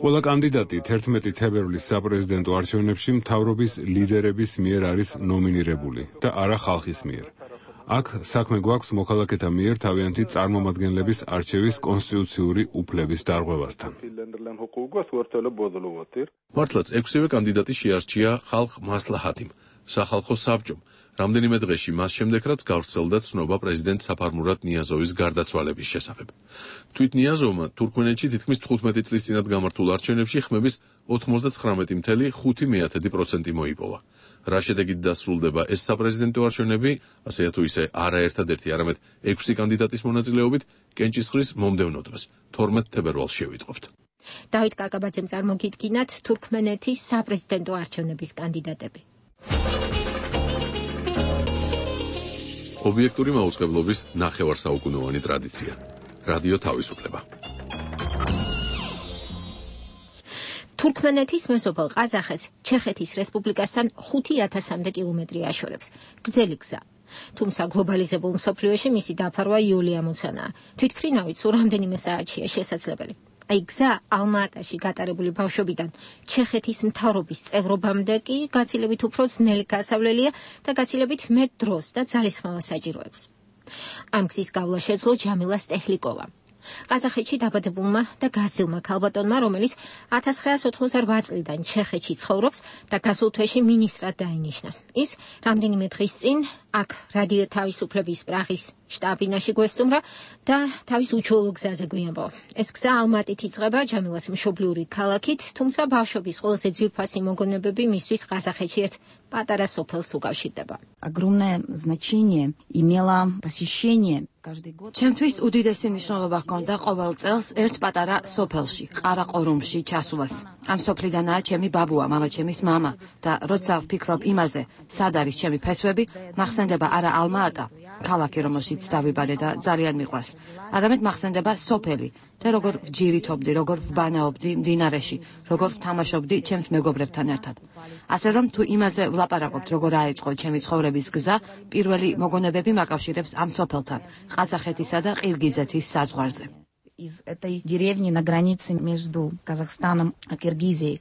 ყველა კანდიდატი თერთმეტი თებერვლის საპრეზიდენტო არჩევნებში მთავრობის ლიდერების მიერ არის ნომინირებული და არა ხალხის მიერ. აქ საქმე გვაქვს მოქალაქეთა მიერ თავიანთი წარმომადგენლების არჩევის კონსტიტუციური უფლების დარღვევასთან. მართლაც ექვსივე კანდიდატი შეარჩია ხალხ მასლაჰათიმ, სახალხო საბჭომ, რამდენიმე დღეში მას შემდეგ რაც გავრცელდა ცნობა პრეზიდენტ საფარმურატ ნიაზოვის გარდაცვალების შესახებ. თვით ნიაზოვმა თურქმენეთში თითქმის თხუთმეტი წლის წინათ გამართულ არჩევნებში ხმების ოთხმოცდათხრამეტი ფاصლე ხუთი პროცენტი მოიპოვა. რა შედეგით დასრულდება ეს საპრეზიდენტო არჩევნები, ასე თუ ისე არა ერთადერთი, არამედ ექვსი კანდიდატის მონაწილეობით კენჭისყრის მომდევნო დღეს, თორმეტ თებერვალს შევიტყობთ. დავით კაკაბაძემ წარმოგიდგინათ თურქმენეთის საპრეზიდენტო არჩევნების კანდიდატები. ობიექტური მაუწყებლობის ნახევარსაუკუნოვანი ტრადიცია. რადიო თავისუფლება. თურქმენეთის მეზობელ ყაზახეთს ჩეხეთის რესპუბლიკასთან ხუთი ათასამდე კილომეტრი აშორებს. გრძელი გზა. თუმცა გლობალიზებულ მსოფლიოში მისი დაფარვა იული ამოცანაა. თვითმფრინავით სულ რამდენიმე საათშია შესაძლებელი. აი გზა ალმა-ატაში გატარებული ბავშვობიდან ჩეხეთის მთავრობის წევრობამდე კი გაცილებით უფრო ძნელი გასავლელია და გაცილებით მეტ დროს და ძალისხმევას საჭიროებს. ამ გზის გავლა შეძლო ჯამილა სტეჰლიკოვამ. ყაზახეთში დაბადებულმა და გაზილმა ქალბატონმა, რომელიც ათას ცხრაასი ოთხმოცდაოთხ წლიდან ჩეხეთში ცხოვრობს და გასულ თვეში მინისტრად დაინიშნა. ის რამდენიმე დღის წინ აქ რადიო თავისუფლების პრაღის შტაბ-ბინაში გვესტუმრა და თავის უჩვეულო გზაზე გვიამბო. ეს გზა ალმატით იწყება ჯამილას მშობლიური ქალაქით, თუმცა ბავშვობის ყველაზე ძვირფასი მოგონებები მისთვის ყაზახეთში ერთ პატარა სოფელს უკავშირდება. Огромное значение имело посещение ჩემთვის უდიდესი მნიშვნელობა ჰქონდა ყოველ წელს ერთ პატარა სოფელში, ყარაყორუმში ჩასვლას. ამ სოფლიდანაა ჩემი ბაბუა, მამაჩემის მამა და როცა ვფიქრობ იმაზე, სად არის ჩემი ფესვები, მახსენდება არა ალმა-ატა, ქალაქი, რომელშიც დავიბადე და ძალიან მიყვარს, არამედ მახსენდება სოფელი და როგორ ვჯირითობდი, როგორ ვბანაობდი მდინარეში, როგორ ვთამაშობდი ჩემს მეგობრებთან ერთად. ასე რომ თუ имазе ვლაპარაკობთ, როგორ აეწყო ჩემი ცხოვრების გზა, პირველი მოგონებები მაკავშირებს ამ სოფელთან, ყაზახეთისა და ყირგიზეთის საზღვარზე. Из этой деревни на границе между Казахстаном и Киргизией.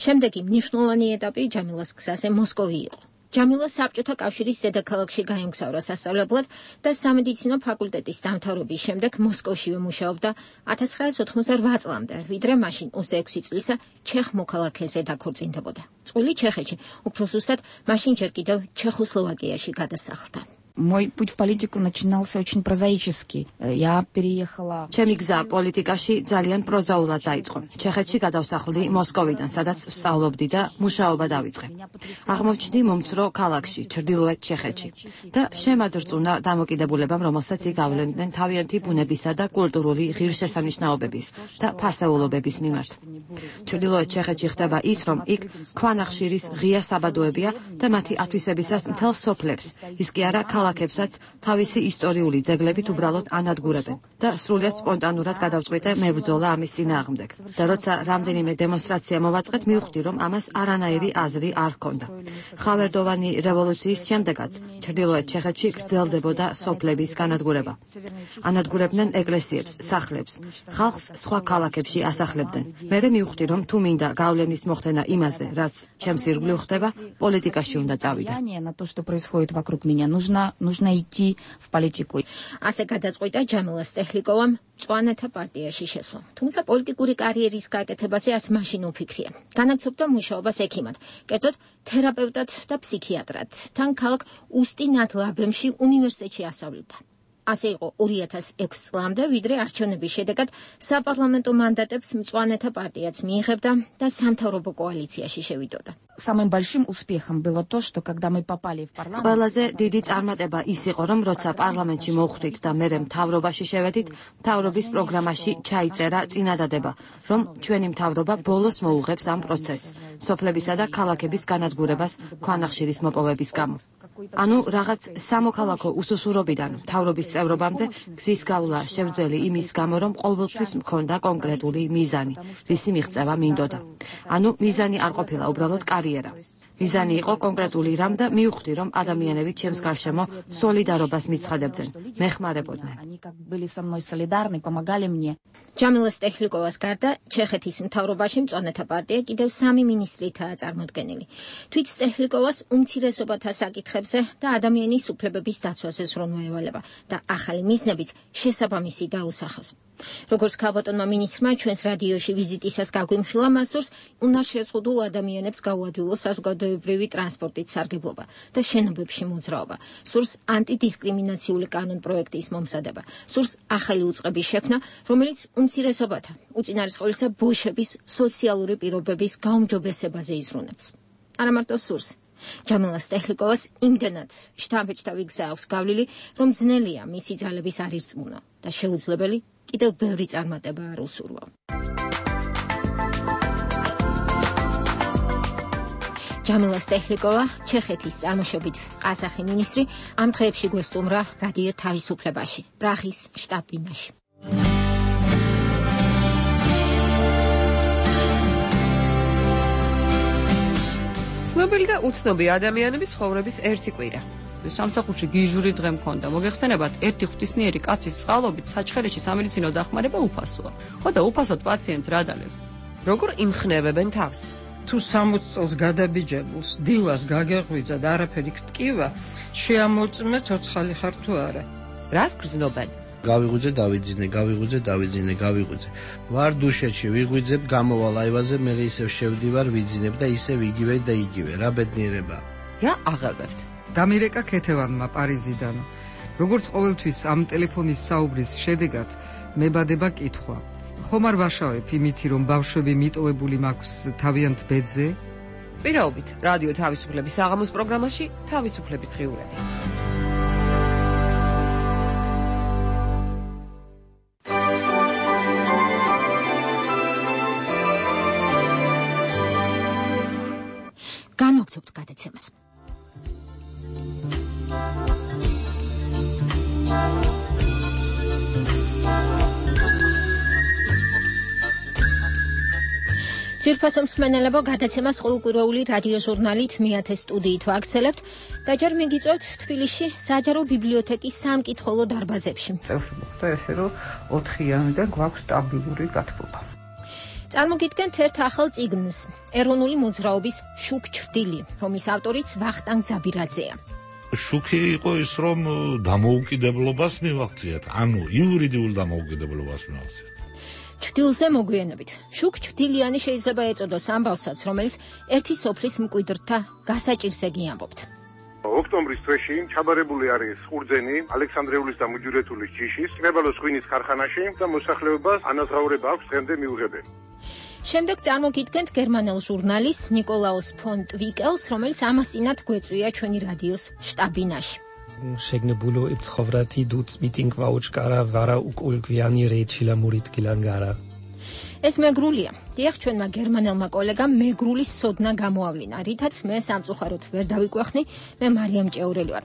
შემდეგი მნიშვნელოვანი ეტაპი ჯამილას გზაზე მოსკოვი იყო. ჯამილა საბჭოთა კავშირის დედაქალაქში გაემგზავრა სასწავლებლად და სამედიცინო ფაკულტეტის დამთავრების შემდეგ მოსკოვშივე მუშაობდა ათას ცხრაასი ოცდაოთხ წლამდე, ვიდრე მაშინ ოცდაექვსი წლისა ჩეხ მოქალაქეზე დაქორწინდებოდა. წყვილი ჩეხეთში, უფრო ზუსტად, მაშინ ჯერ კიდევ ჩეხოსლოვაკიაში გადასახლდა. Мой путь в политику начинался очень прозаически. Я переехала. ჩემი გზა პოლიტიკაში ძალიან პროზაულად დაიწყო. ჩეხეთში გადავსახლდი მოსკოვიდან, სადაც ვსწავლობდი და მუშაობა დავიწყე. აღმოჩნდი მომცრო ქალაქში, ჩრდილოეთ ჩეხეთში და შემაძრწუნა დამოკიდებულებამ, რომელსაც იგავლენდნენ თავიანთი ბუნებისა და კულტურული ღირსშესანიშნაობების და ფასეულობების მიმართ. ჩრდილოეთ ჩეხეთში ხდება ის, რომ იქ ქვანახშირის ღია საბადოებია და მათი ათვისებისას მთელ სოფლებს, ის კი არა ქალაქებსაც თავისი ისტორიული ძეგლებით უბრალოდ ანადგურებენ და სრულიად სპონტანურად გადავწყვიტე მებრძოლა ამის წინააღმდეგ. და როცა რამდენიმე დემონსტრაცია მოვაწყეთ, მივხვდი, რომ ამას არანაირი აზრი არ ჰქონდა. ხავერდოვანი რევოლუციის შემდეგაც ჩრდილოეთ ჩეხეთში გრძელდებოდა სოფლების განადგურება. ანადგურებდნენ ეკლესიებს, სახლებს, ხალხს სხვა ქალაქებში ასახლებდნენ. მერე მივხვდი, რომ თუ მინდა გავლენის მოხდენა იმაზე, რაც ჩემს ირგვლივ ხდება, პოლიტიკაში უნდა წავიდე. На то, что происходит вокруг меня, нужно нужно идти в политику. ასე გადაწყვიტა ჯამილა სტეჰლიკოვამ მწვანეთა პარტიაში შესვლა. თუმცა პოლიტიკური კარიერის გაკეთებაზე არც მაშინ უფიქრია. განაგრძობდა მუშაობას ექიმად, კერძოდ თერაპევტად და ფსიქიატრად. თან ქალაქ უსტი-ნად-ლაბემში უნივერსიტეტში ასწავლიდა. ასე იყო ორი ათას ექვსი წლამდე, ვიდრე არჩევნების შედეგად საპარლამენტო მანდატებს მწვანეთა პარტიაც მიიღებდა და სამთავრობო კოალიციაში შევიდოდა. Самым большим успехом было то, что когда мы попали в парламент. ყველაზე დიდი წარმატება ის იყო, რომ როცა პარლამენტში მოვხვდით და მერე მთავრობაში შევედით, მთავრობის პროგრამაში ჩაიწერა წინადადება, რომ ჩვენი მთავრობა ბოლოს მოუღებს ამ პროცესს, სოფლებისა და ქალაქების განადგურებას ქვანახშირის მოპოვების გამო. ანუ რაღაც სამოქალაქო უსუსურობიდან მთავრობის წევრობამდე გზის გავლა შევძელი იმის გამო, რომ ყოველთვის მქონდა კონკრეტული მიზანი, რისი მიღწევა მინდოდა. ანუ მიზანი არ ყოფილა უბრალოდ კარიერა. მიზანი იყო კონკრეტული რამ და მივხვდი, რომ ადამიანები ჩემს გარშემო სოლიდარობას მიცხადებდნენ, მეხმარებოდნენ. ჯამილა სტეჰლიკოვას გარდა ჩეხეთის მთავრობაში მწვანეთა პარტია კიდევ სამი მინისტრითაა წარმოდგენილი. თვით სტეჰლიკოვას უმცირესობათა საკითხებზე და ადამიანის უფლებების დაცვაზე ზრუნვა ევალება და ახალი მიზნებიც შესაბამისი დაუსახოს. როგორც ქალბატონმა მინისტრმა ჩვენს რადიოში ვიზიტისას გაგვიმხილა, მას სურს უნარშეზღუდულ ადამიანებს გაუადვილოს საზოგადოებრივი ტრანსპორტით სარგებლობა და შენობებში მოძრაობა. სურს ანტიდისკრიმინაციული კანონ-პროექტის მომზადება. სურს ახალი უწყების შექმნა, რომელიც უმცირესობათა, უწინარესყოლისა ბოშების სოციალური პირობების გაუმჯობესებაზე იზრუნებს. არა მარტო სურს. ჯამილა სტეჰლიკოვას იმდენად შთამბეჭდავი გზა აქვს გავლილი, რომ ძნელია მისი ძალების არ ირწმუნო და შეუძლებელი კიდევ ბევრი წარმატება არ უსურვო. ჯამილა სტეჰლიკოვა, ჩეხეთის წარმოშობით ყაზახი მინისტრი, ამ დღეებში გვესტუმრა რადიო თავისუფლებაში, პრაღის შტაბ-ბინაში. ცნობილი და უცნობი ადამიანების ცხოვრების ერთი კვირა. სამსახურში გიჟური დღე მქონდა. მოგეხსენებათ, ერთი ღვთისმიერი კაცის წყალობით საჩხერეში სამედიცინო დახმარება უფასოა. ხო და უფასოდ პაციენტს რა დალევს? როგორ იმხნევებენ თავს? თუ სამოცი წელს გადაბიჯებულს დილას გაგეღვიძა და არაფერი გტკივა, შეამოწმე ცოცხალი ხარ თუ არა. რას გრძნობენ? გავიღვიძე, დავიძინე, გავიღვიძე, დავიძინე, გავიღვიძე. ვარ დუშეთში, ვიღვიძებ, გამოვალ აივაზე, მე ისევ შევდივარ, ვიძინებ და ისევ იგივე და იგივე. რა ბედნიერება. რა აღელვებთ? დამირეკა ქეთევანმა პარიზიდან. როგორც ყოველთვის ამ ტელეფონის საუბრის შედეგად მებადება კითხვა. ხომ არ ვაშავებ იმითი, რომ ბავშვები მიტოვებული მაქვს თავიანთ ბედზე? პირაობით, რადიო თავისუფლების საღამოს პროგრამაში თავისუფლების დღიურები. განვაგრძობთ გადაცემას. ძვირფასო მსმენელებო, გადაცემას ყოველკვირეული რადიო ჟურნალით მეათე სტუდიით ვაგრძელებთ და ჯერ მიგიწევთ თბილისში საჯარო ბიბლიოთეკის სამკითხველო დარბაზებში. წელს მოხდა ესე, რომ ოთხიანიდან გვაქვს სტაბილური გათბობა. წარმოგიდგენთ ერთ ახალ წიგნს, ეროვნული მოძრაობის შუქ ჩრდილი, რომლის ავტორიც ვახტანგ ძაბირაძეა. შუქი იყო ის, რომ დამოუკიდებლობას მივაღწიათ, ანუ იურიდიულ დამოუკიდებლობას მივაღწიათ. ჩრდილზე მოგვიანებით. შუქ ჩრდილიანი შეიძლება ეწოდოს ამბავსაც, რომელიც ერთი სოფლის მკვიდრთა გასაჭირზე გიამბობთ. ოქტომბრის თვეში ჩაბარებული არის ხურძენი, ალექსანდრეულის და მუჯურეთულის ჯიშის, კნებალოს ღვინის ქარხანაში და მოსახლეობას ანაზღაურება აქვს დღემდე მიუღებელი. შემდეგ წარმოგიდგენთ გერმანელ ჟურნალის ნიკოლაუს ფონ ტვიკელს, რომელიც ამასინად გვეწვია ჩვენი რადიოს შტაბ-ბინაში. შეგნებულო იფცხოვრათი დუც მიტინგ ვაუჩკარა ვარა უკულგვიანი რეჩილა მურიტკილანგარა. ეს მეგრულია. დიახ, ჩვენმა გერმანელმა კოლეგამ მეგრულის სოდნა გამოავლინა, რითაც მე სამწუხაროდ ვერ დავიკვეხნი, მე მარიამ ჭეურელი ვარ.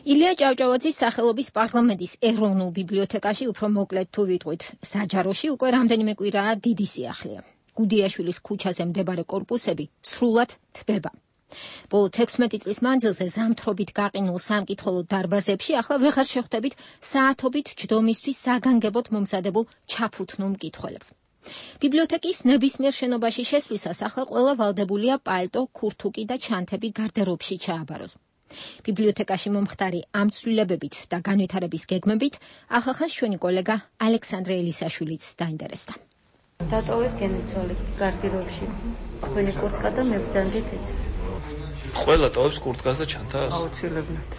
ილია ჭავჭავაძის სახელობის პარლამენტის ეროვნულ ბიბლიოთეკაში უფრო მოკლედ თუ ვიტყვით, საჯაროში უკვე რამდენიმე კვირაა დიდი სიახლეა. გუდიაშვილის ქუჩაზე მდებარე კორპუსები სრულად თბება. ბოლო თექვსმეტი წლის მანძილზე ზამთრობით გაყინულ სამკითხველო დარბაზებში ახლა ვეღარ შეხვდებით საათობით ჯდომისთვის საგანგებოდ მომზადებულ ჩაფუთნულ მკითხველებს. ბიბლიოთეკის ნებისმიერ შენობაში შესვლისას ახლა ყველა ვალდებულია პალტო, ქურთუკი და ჩანთები გარდერობში ჩააბაროს. ბიბლიოთეკაში მომხდარი ამ ცვლილებებით და განვითარების გეგმებით ახალხანს ჩვენი კოლეგა ალექსანდრე ელისაშვილიც დაინტერესდა. დატოვეთ გენიცოლი გარდერობში. თქვენი კურტკა და მებრძანდით ეს. ყველა ტოვებს კურტკას და ჩანთას? აუცილებლად.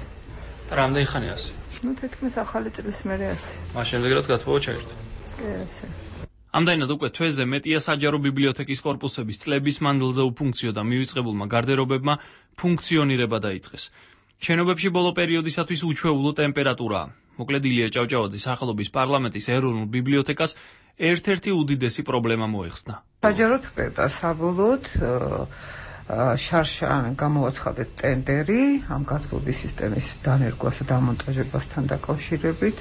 და რამდენი ხანი ასე? ნუ თითქმის ახალი წლის მერე ასე. მას შემდეგ რაც გათბობა ჩაერთო. კი, ასე. ამდენად უკვე თვეზე მეტია საჯარო ბიბლიოთეკის კორპუსების წლების მანძილზე უფუნქციო და მივიწყებულმა გარდერობებმა ფუნქციონირება დაიწყეს. შენობებში ბოლო პერიოდისათვის უჩვეულო ტემპერატურაა. მოკლედ ილია ჭავჭავაძის სახელობის პარლამენტის ეროვნულ ბიბლიოთეკას ერთ-ერთი უდიდესი პრობლემა მოეხსნა. საჯარო თბება საბოლოოდ შარშან გამოვაცხადეთ ტენდერი ამ გაზრდობის სისტემის დანერგვას და დამონტაჟებასთან დაკავშირებით.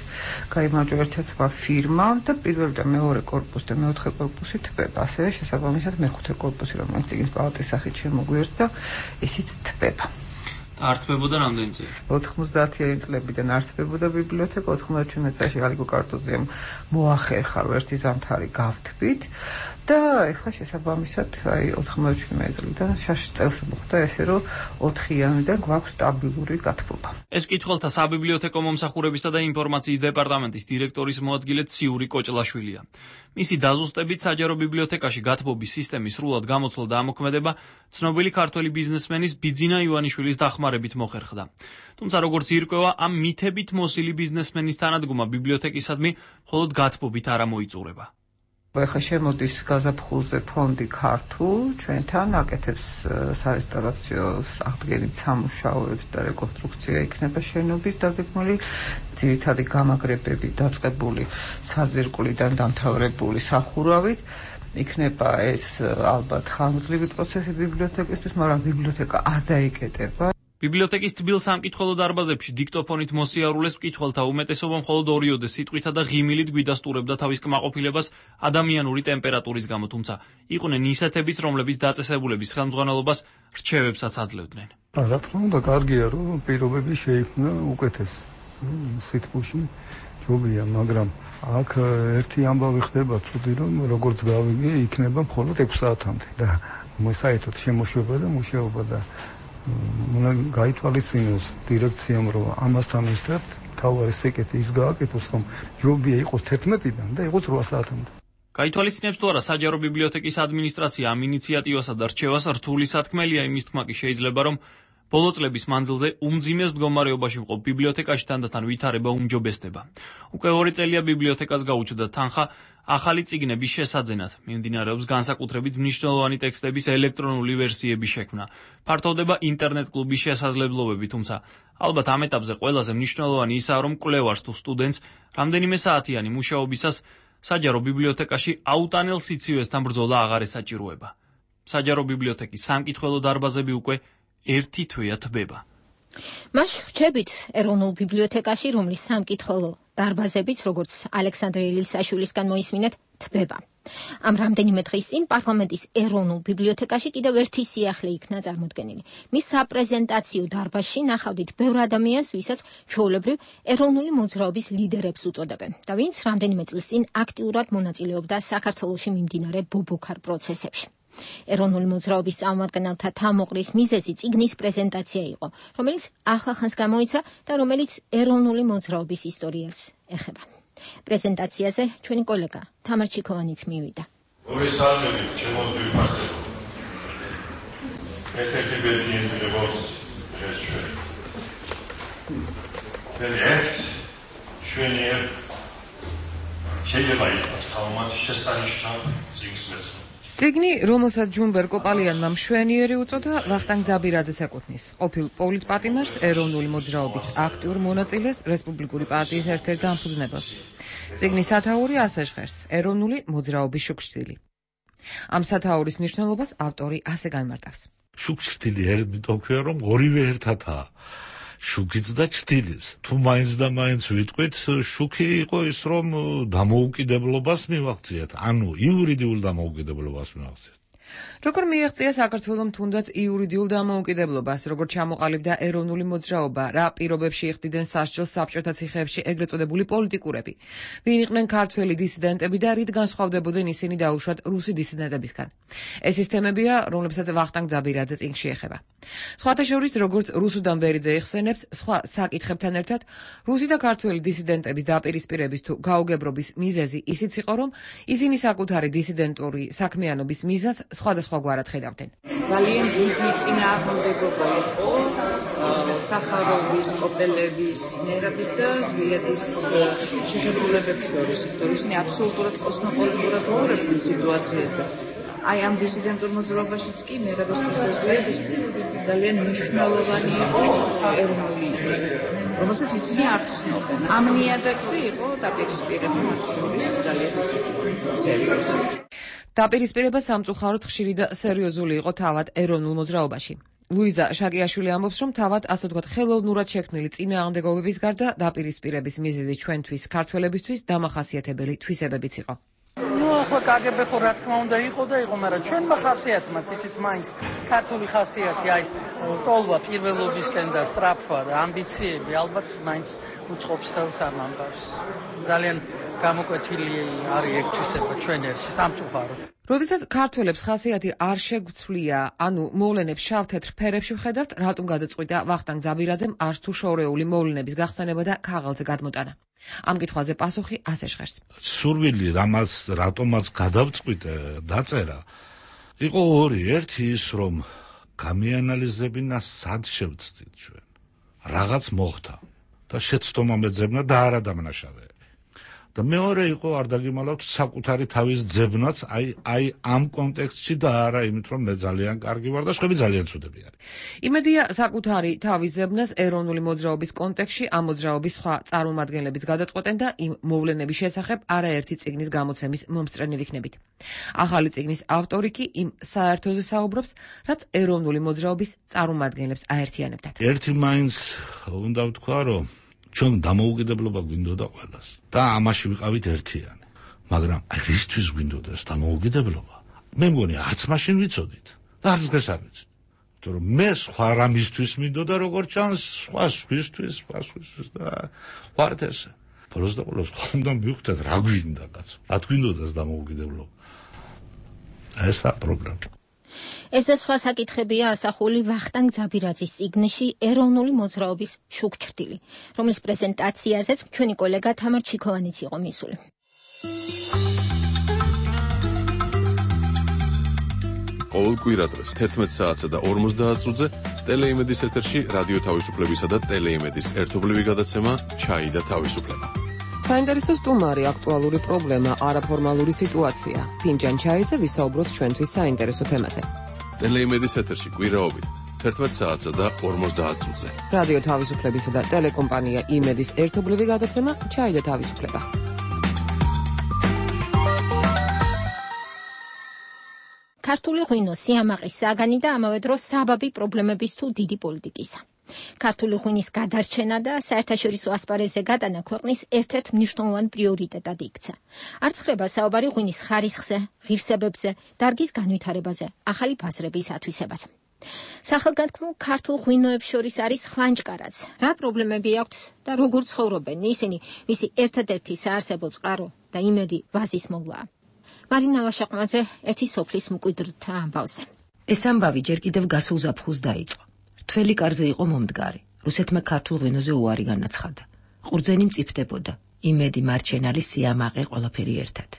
გაიმარჯვა ერთ-ერთმა ფირმამ და პირველი და მეორე კორპუსი და მეოთხე კორპუსი თბება. ასევე შესაბამისად მეხუთე კორპუსი, რომელიც წიგნის პალატის სახით შემოგვიერთდა, ისიც თბება. არ თბებოდა რამდენი წელი? ოთხმოცდაათიანი წლებიდან არ თბებოდა ბიბლიოთეკა, ოთხმოცდაათი წელს ალიკო კარტოზიამ მოახერხა ერთი ზამთარი გავთბით და ეხლა შესაბამისად აი ოთხმოცმეტ წლიდან შაში წელს მოხდა ესე რომ ოთხიანიდან გვაქვს სტაბილური გათბობა. ეს კითხველთა საბიბლიოთეკო მომსახურებისა და ინფორმაციის დეპარტამენტის დირექტორის მოადგილე ციური კოჭლაშვილია. მისი დაზუსტებით საჯარო ბიბლიოთეკაში გათბობის სისტემის სრულად გამოცვლა და ამოქმედება ცნობილი ქართველი ბიზნესმენის ბიძინა ივანიშვილის დახმარებით მოხერხდა. თუმცა როგორც ირკვევა, ამ მითებით მოსილი ბიზნესმენის თანადგომა ბიბლიოთეკისადმი მხოლოდ გათბობით არ მოიწურება. ეხლა შემოდის გაზაფხულზე ფონდი ქართულ ჩვენთან აკეთებს სარესტავრაციო აღდგენით სამუშაოებს და რეკონსტრუქცია იქნება შენობის დაგეგმილი ძირითადი გამაგრებები დაწყებული საძირკვლიდან დამთავრებული სახურავით იქნება ეს ალბათ ხანგრძლივი პროცესი ბიბლიოთეკისთვის, მაგრამ ბიბლიოთეკა არ დაიკეტება. ბიბლიოთეკის თბილ სამკითხველო დარბაზებში დიქტოფონით მოსიარულეს მკითხველთა უმეტესობა მხოლოდ ორიოდე სიტყვითა და ღიმილით გვიდასტურებდა თავის კმაყოფილებას ადამიანური ტემპერატურის გამო, თუმცა იყვნენ ისეთებიც, რომლებიც დაწესებულების ხელმძღვანელობას რჩევებსაც აძლევდნენ. რა თქმა უნდა, კარგია, რომ პირობები შეიქმნა უკეთეს სიტყვში ჯობია, მაგრამ აქ ერთი ამბავი ხდება ცუდი, რომ როგორც გავიგე, იქნება მხოლოდ ექვს საათამდე და საერთოდ შემოშვება და მუშაობა და უნდა გაითვალისწინოს დირექციამ, რომ ამასთან ერთად თავარი სეკეთი ის გააკეთოს, რომ ჯობია იყოს თერთმეტიდან და იყოს რვა საათამდე. გაითვალისწინებს თუ არა საჯარო ბიბლიოთეკის ადმინისტრაცია ამ ინიციატივასა და რჩევას რთული სათქმელია, იმის თქმა კი შეიძლება, რომ ბოლო წლების მანძილზე უმძიმეს მდგომარეობაში მყოფ ბიბლიოთეკაში თანდათან ვითარება უმჯობესდება. უკვე ორი წელია ბიბლიოთეკას გაუჩნდა თანხა ახალი წიგნების შესაძენად. მიმდინარეობს განსაკუთრებით მნიშვნელოვანი ტექსტების ელექტრონული ვერსიების შექმნა. ფართოვდება ინტერნეტ კლუბის შესაძლებლობები, თუმცა ალბათ ამ ეტაპზე ყველაზე მნიშვნელოვანი ისაა, რომ კვლევარს თუ სტუდენტს რამდენიმე საათიანი მუშაობისას საჯარო ბიბლიოთეკაში აუტანელ სიცივესთან ბრძოლა აღარ ესაჭიროება. საჯარო ბიბლიოთეკის სამკითხველო დარბაზები უკვე ერთი თვეა თბება. მას ვრჩებით ეროვნულ ბიბლიოთეკაში, რომლის სამკითხველო დარბაზებიც, როგორც ალექსანდრე ელისაშვილისგან მოისმინეთ, თბება. ამ რამდენიმე დღის წინ პარლამენტის ეროვნულ ბიბლიოთეკაში კიდევ ერთი სიახლე იქნა წარმოდგენილი. მის საპრეზენტაციო დარბაზში ნახავდით ბევრ ადამიანს, ვისაც ჩვეულებრივ ეროვნული მოძრაობის ლიდერებს უწოდებენ და ვინც რამდენიმე წლის წინ აქტიურად მონაწილეობდა საქართველოში მიმდინარე ბობოქარ პროცესებში. ეროვნული მოძრაობის წარმომადგენელთა თამოყრის მიზეზი წიგნის პრეზენტაცია იყო, რომელიც ახლახანს გამოიცა და რომელიც ეროვნული მოძრაობის ისტორიას ეხება. პრეზენტაციაზე ჩვენი კოლეგა თამარ ჩიქოვანიც მივიდა. ორი საათებით შემოძვი ფასები. ერთ-ერთი ბედნიერი ბოს ეს ჩვენ. ერთ ჩვენი შეიძლება იყოს თავმაც შესანიშნავ წიგნს მეცნიერება. წიგნი, რომელსაც ჯუმბერ კოპალიანმა მშვენიერი უწოდა, ვახტანგ ძაბირაძეს ეკუთვნის. ყოფილ პოლიტპატიმარს, ეროვნული მოძრაობის აქტიურ მონაწილეს, რესპუბლიკური პარტიის ერთ-ერთ დამფუძნებელს. წიგნის სათაური ასე ჟღერს: ეროვნული მოძრაობის შუქშტილი. ამ სათაურის მნიშვნელობას ავტორი ასე განმარტავს. შუქშტილი იმიტომ ქვია, რომ ორივე ერთადაა. შუქიც და ჭრილიც. თუ მაინც და მაინც ვიტყვით, შუქი იყო ის, რომ დამოუკიდებლობას მივაღწიეთ, ანუ იურიდიულ დამოუკიდებლობას მივაღწიეთ. როგორ მიაღწია საქართველომ თუნდაც იურიდიულ დამოუკიდებლობას, როგორ ჩამოყალიბდა ეროვნული მოძრაობა, რა პირობებში იხდიდნენ სასჯელს საბჭოთა ციხეებში ეგრეთ წოდებული პოლიტიკურები, ვინ იყვნენ ქართველი დისიდენტები და რით განსხვავდებოდნენ ისინი დაუშვათ რუსი დისიდენტებისგან. ეს ის თემებია, რომლებსაც ვახტანგ ძაბირაძე წიგნში ეხება. სხვათა შორის, როგორც რუსუდან ვერიძე იხსენებს, სხვა საკითხებთან ერთად, რუსი და ქართველი დისიდენტების დაპირისპირების თუ გაუგებრობის მიზეზი ისიც იყო, რომ ისინი საკუთარი დისიდენტური საქმიანობის მიზანს სხვადასხვაგვარად ხედავდნენ. ძალიან დიდი წინააღმდეგობა იყო სახაროვის, კოპელევის, მერაბის და ზვიადის შეხედულებებს შორის, იმიტომ ისინი აბსოლუტურად კოსმოპოლიტურად უყურებდნენ სიტუაციას და აი ამ დისიდენტურ მოძრაობაშიც კი მერაბისთვის და ზვიადისთვის ძალიან მნიშვნელოვანი იყო ეროვნული იდეა, რომელსაც ისინი არ ცნობდნენ. ამ ნიადაგზე იყო დაპირისპირება მათ შორის ძალიან სერიოზული. დაპირისპირება სამწუხაროდ ხშირი და სერიოზული იყო თავად ეროვნულ მოძრაობაში. ლუიზა შაკიაშვილი ამბობს, რომ თავად ასე ვთქვათ ხელოვნურად შექმნილი წინააღმდეგობების გარდა დაპირისპირების მიზეზი ჩვენთვის ქართველებისთვის დამახასიათებელი თვისებებიც იყო. ნუ ახლა კაგებე ხო რა თქმა უნდა იყო და იყო, მაგრამ ჩვენმა ხასიათმაც იცით მაინც ქართული ხასიათი, აი ეს ტოლვა პირველობისკენ და სწრაფვა და ამბიციები ალბათ მაინც უწყობს ხელს ამ ამბავს. ძალიან გამოკვეთილი არის ერთისება ჩვენ ერთში სამწუხაროდ. როდესაც ქართველებს ხასიათი არ შეგვცვლია, ანუ მოვლენებს შავ-თეთრ ფერებში ვხედავთ, რატომ გადაწყვიტა ვახტანგ ძაბირაძემ არც თუ შორეული მოვლენების გახსენება და ქაღალდზე გადმოტანა? ამ კითხვაზე პასუხი ასე ჟღერს. სურვილი, რამაც რატომაც გადავწყვიტე დაწერა, იყო ორი. ერთი ის, რომ გამიანალიზებინა სად შევცდით ჩვენ. რაღაც მოხდა და შეცდომა მეძებნა და არა დამნაშავე. და მეორე იყო, არ დაგიმალავთ, საკუთარი თავის ძებნაც, აი აი ამ კონტექსტში და არა იმით, რომ მე ძალიან კარგი ვარ და სხვები ძალიან ცუდები არის. იმედია საკუთარი თავის ძებნას ეროვნული მოძრაობის კონტექსტში ამ მოძრაობის სხვა წარმომადგენლებიც გადაწყვეტენ და იმ მოვლენების შესახებ არაერთი წიგნის გამოცემის მომსწრენი ვიქნებით. ახალი წიგნის ავტორი კი იმ საერთოზე საუბრობს, რაც ეროვნული მოძრაობის წარმომადგენლებს აერთიანებდათ. ერთი მაინც უნდა ვთქვა, რომ ჩვენ დამოუკიდებლობა გვინდოდა ყველას და ამაში ვიყავით ერთიანი. მაგრამ აი რისთვის გვინდოდა ეს დამოუკიდებლობა? მე მგონი არც მაშინ ვიცოდით და არც დღეს არ ვიცით. იმიტომ რომ მე სხვა რამისთვის მინდოდა, როგორც ჩანს, სხვა სხვისთვის, სხვა სხვისთვის და ვართ ესე. ბოლოს და ბოლოს ხომ მივხვდეთ რა გვინდა კაცო. რა გვინდოდა ეს დამოუკიდებლობა? ესა პროგრამა. ეს და სხვა საკითხებია ასახული ვახტანგ ძაბირაძის წიგნში ეროვნული მოძრაობის შუქჩრდილი, რომლის პრეზენტაციაზეც ჩვენი კოლეგა თამარ ჩიქოვანიც იყო მისული. ყოველ კვირადღეს თერთმეტ საათსა და ორმოცდაათ წუთზე ტელეიმედის ეთერში რადიო თავისუფლებისა და ტელეიმედის ერთობლივი გადაცემა ჩაი და თავისუფლება. საინტერესო სტუმარი, აქტუალური პრობლემა, არაფორმალური სიტუაცია. ფინჯან ჩაიზე ვისაუბროთ ჩვენთვის საინტერესო თემაზე. ტელეიმედის ეთერში კვირაობით თერთმეტ საათსა და ორმოცდაათ წუთზე. რადიო თავისუფლებისა და ტელეკომპანია იმედის ერთობლივი გადაცემა ჩაი და თავისუფლება. ქართული ღვინო სიამაყის საგანი და ამავე დროს საბაბი პრობლემების თუ დიდი პოლიტიკისა. ქართული ღვინის გადარჩენა და საერთაშორისო ასპარეზზე გატანა ქვეყნის ერთ-ერთ მნიშვნელოვან პრიორიტეტად იქცა. არც ხდება საუბარი ღვინის ხარისხზე, ღირსებებზე, დარგის განვითარებაზე, ახალი ბაზრების ათვისებაზე. სახელგანთქმულ ქართულ ღვინოებს შორის არის ხვანჭკარაც. რა პრობლემები აქვთ და როგორ ცხოვრობენ ისინი, ვისი ერთადერთი საარსებო წყარო და იმედი ვაზის მოვლაა. მარინა ვაშაყმაძე ერთი სოფლის მკვიდრთა ამბავზე. ეს ამბავი ჯერ კიდევ გასულ ზაფხულს დაიწყო. თველი კარზე იყო მომდგარი. რუსეთმა ქართულ ღვინოზე უარი განაცხადა. ყურძენი მწიფდებოდა. იმედი, მარჩენალი, სიამაყე, ყველაფერი ერთად.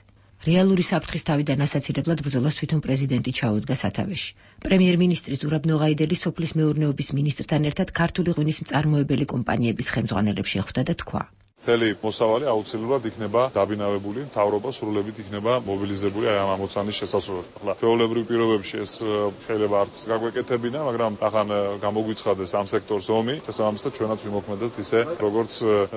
რეალური საფრთხის თავიდან ასაცილებლად ბრძოლას თვითონ პრეზიდენტი ჩაუდგა სათავეში. პრემიერ-მინისტრი ზურაბ ნოღაიდელი სოფლის მეურნეობის მინისტრთან ერთად ქართული ღვინის მწარმოებელი კომპანიების ხელმძღვანელებს შეხვდა და თქვა: მთელი მოსავალი აუცილებლად იქნება დაბინავებული, მთავრობა სრულებით იქნება მობილიზებული აი ამ ამოცანის შესასრულებლად. ახლა ჩვეულებრივ პირობებში ეს შეიძლება არც გაგვეკეთებინა, მაგრამ ახან გამოგვიცხადეს ამ სექტორს ომი, შესაბამისად ჩვენაც ვიმოქმედოთ ისე, როგორც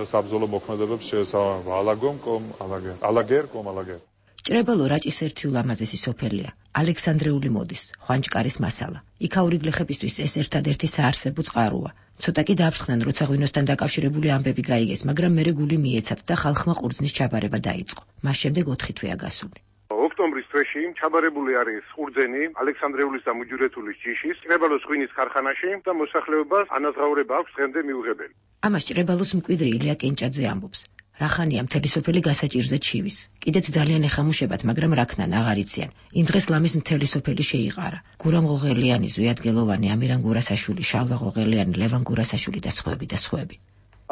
საბრძოლო მოქმედებებს შეესაბამება. ალაგომ კომ ალაგერ. ალაგერ კომ ალაგერ. ჭრებალო რაჭის ერთი ულამაზესი სოფელია, ალექსანდრიული მოდის, ხვანჭკარის მასალა. იქაური გლეხებისთვის ეს ერთადერთი საარსებო წყაროა. ცოტა კი დააფრთხნენ, როცა ღვინოსთან დაკავშირებული ამბები გაიგეს, მაგრამ მერე გული მიეცათ და ხალხმა ყურძნის ჩაბარება დაიწყო. მას შემდეგ ოთხი თვეა გასული. ოქტომბრის თვეში ჩაბარებული არის ყურძენი ალექსანდრეულის და მუჯურეთულის ჯიშის ჭრებალოს ღვინის ქარხანაში და მოსახლეობას ანაზღაურება აქვს დღემდე მიუღებელი. ამას ჭრებალოს მკვიდრი ილია კენჭაძე ამბობს. რახანია მთელი სოფელი გასაჭირზე ჩივის. კიდეც ძალიან ეხამუშებათ, მაგრამ რაქნან აღარ იციან. იმ დღეს ლამის მთელი სოფელი შეიყარა. გურამ ღოღელიანი, ზვიადგელოვანი, ამირან გურასაშვილი, შალვა ღოღელიანი, ლევან გურასაშვილი და სხვები და სხვები.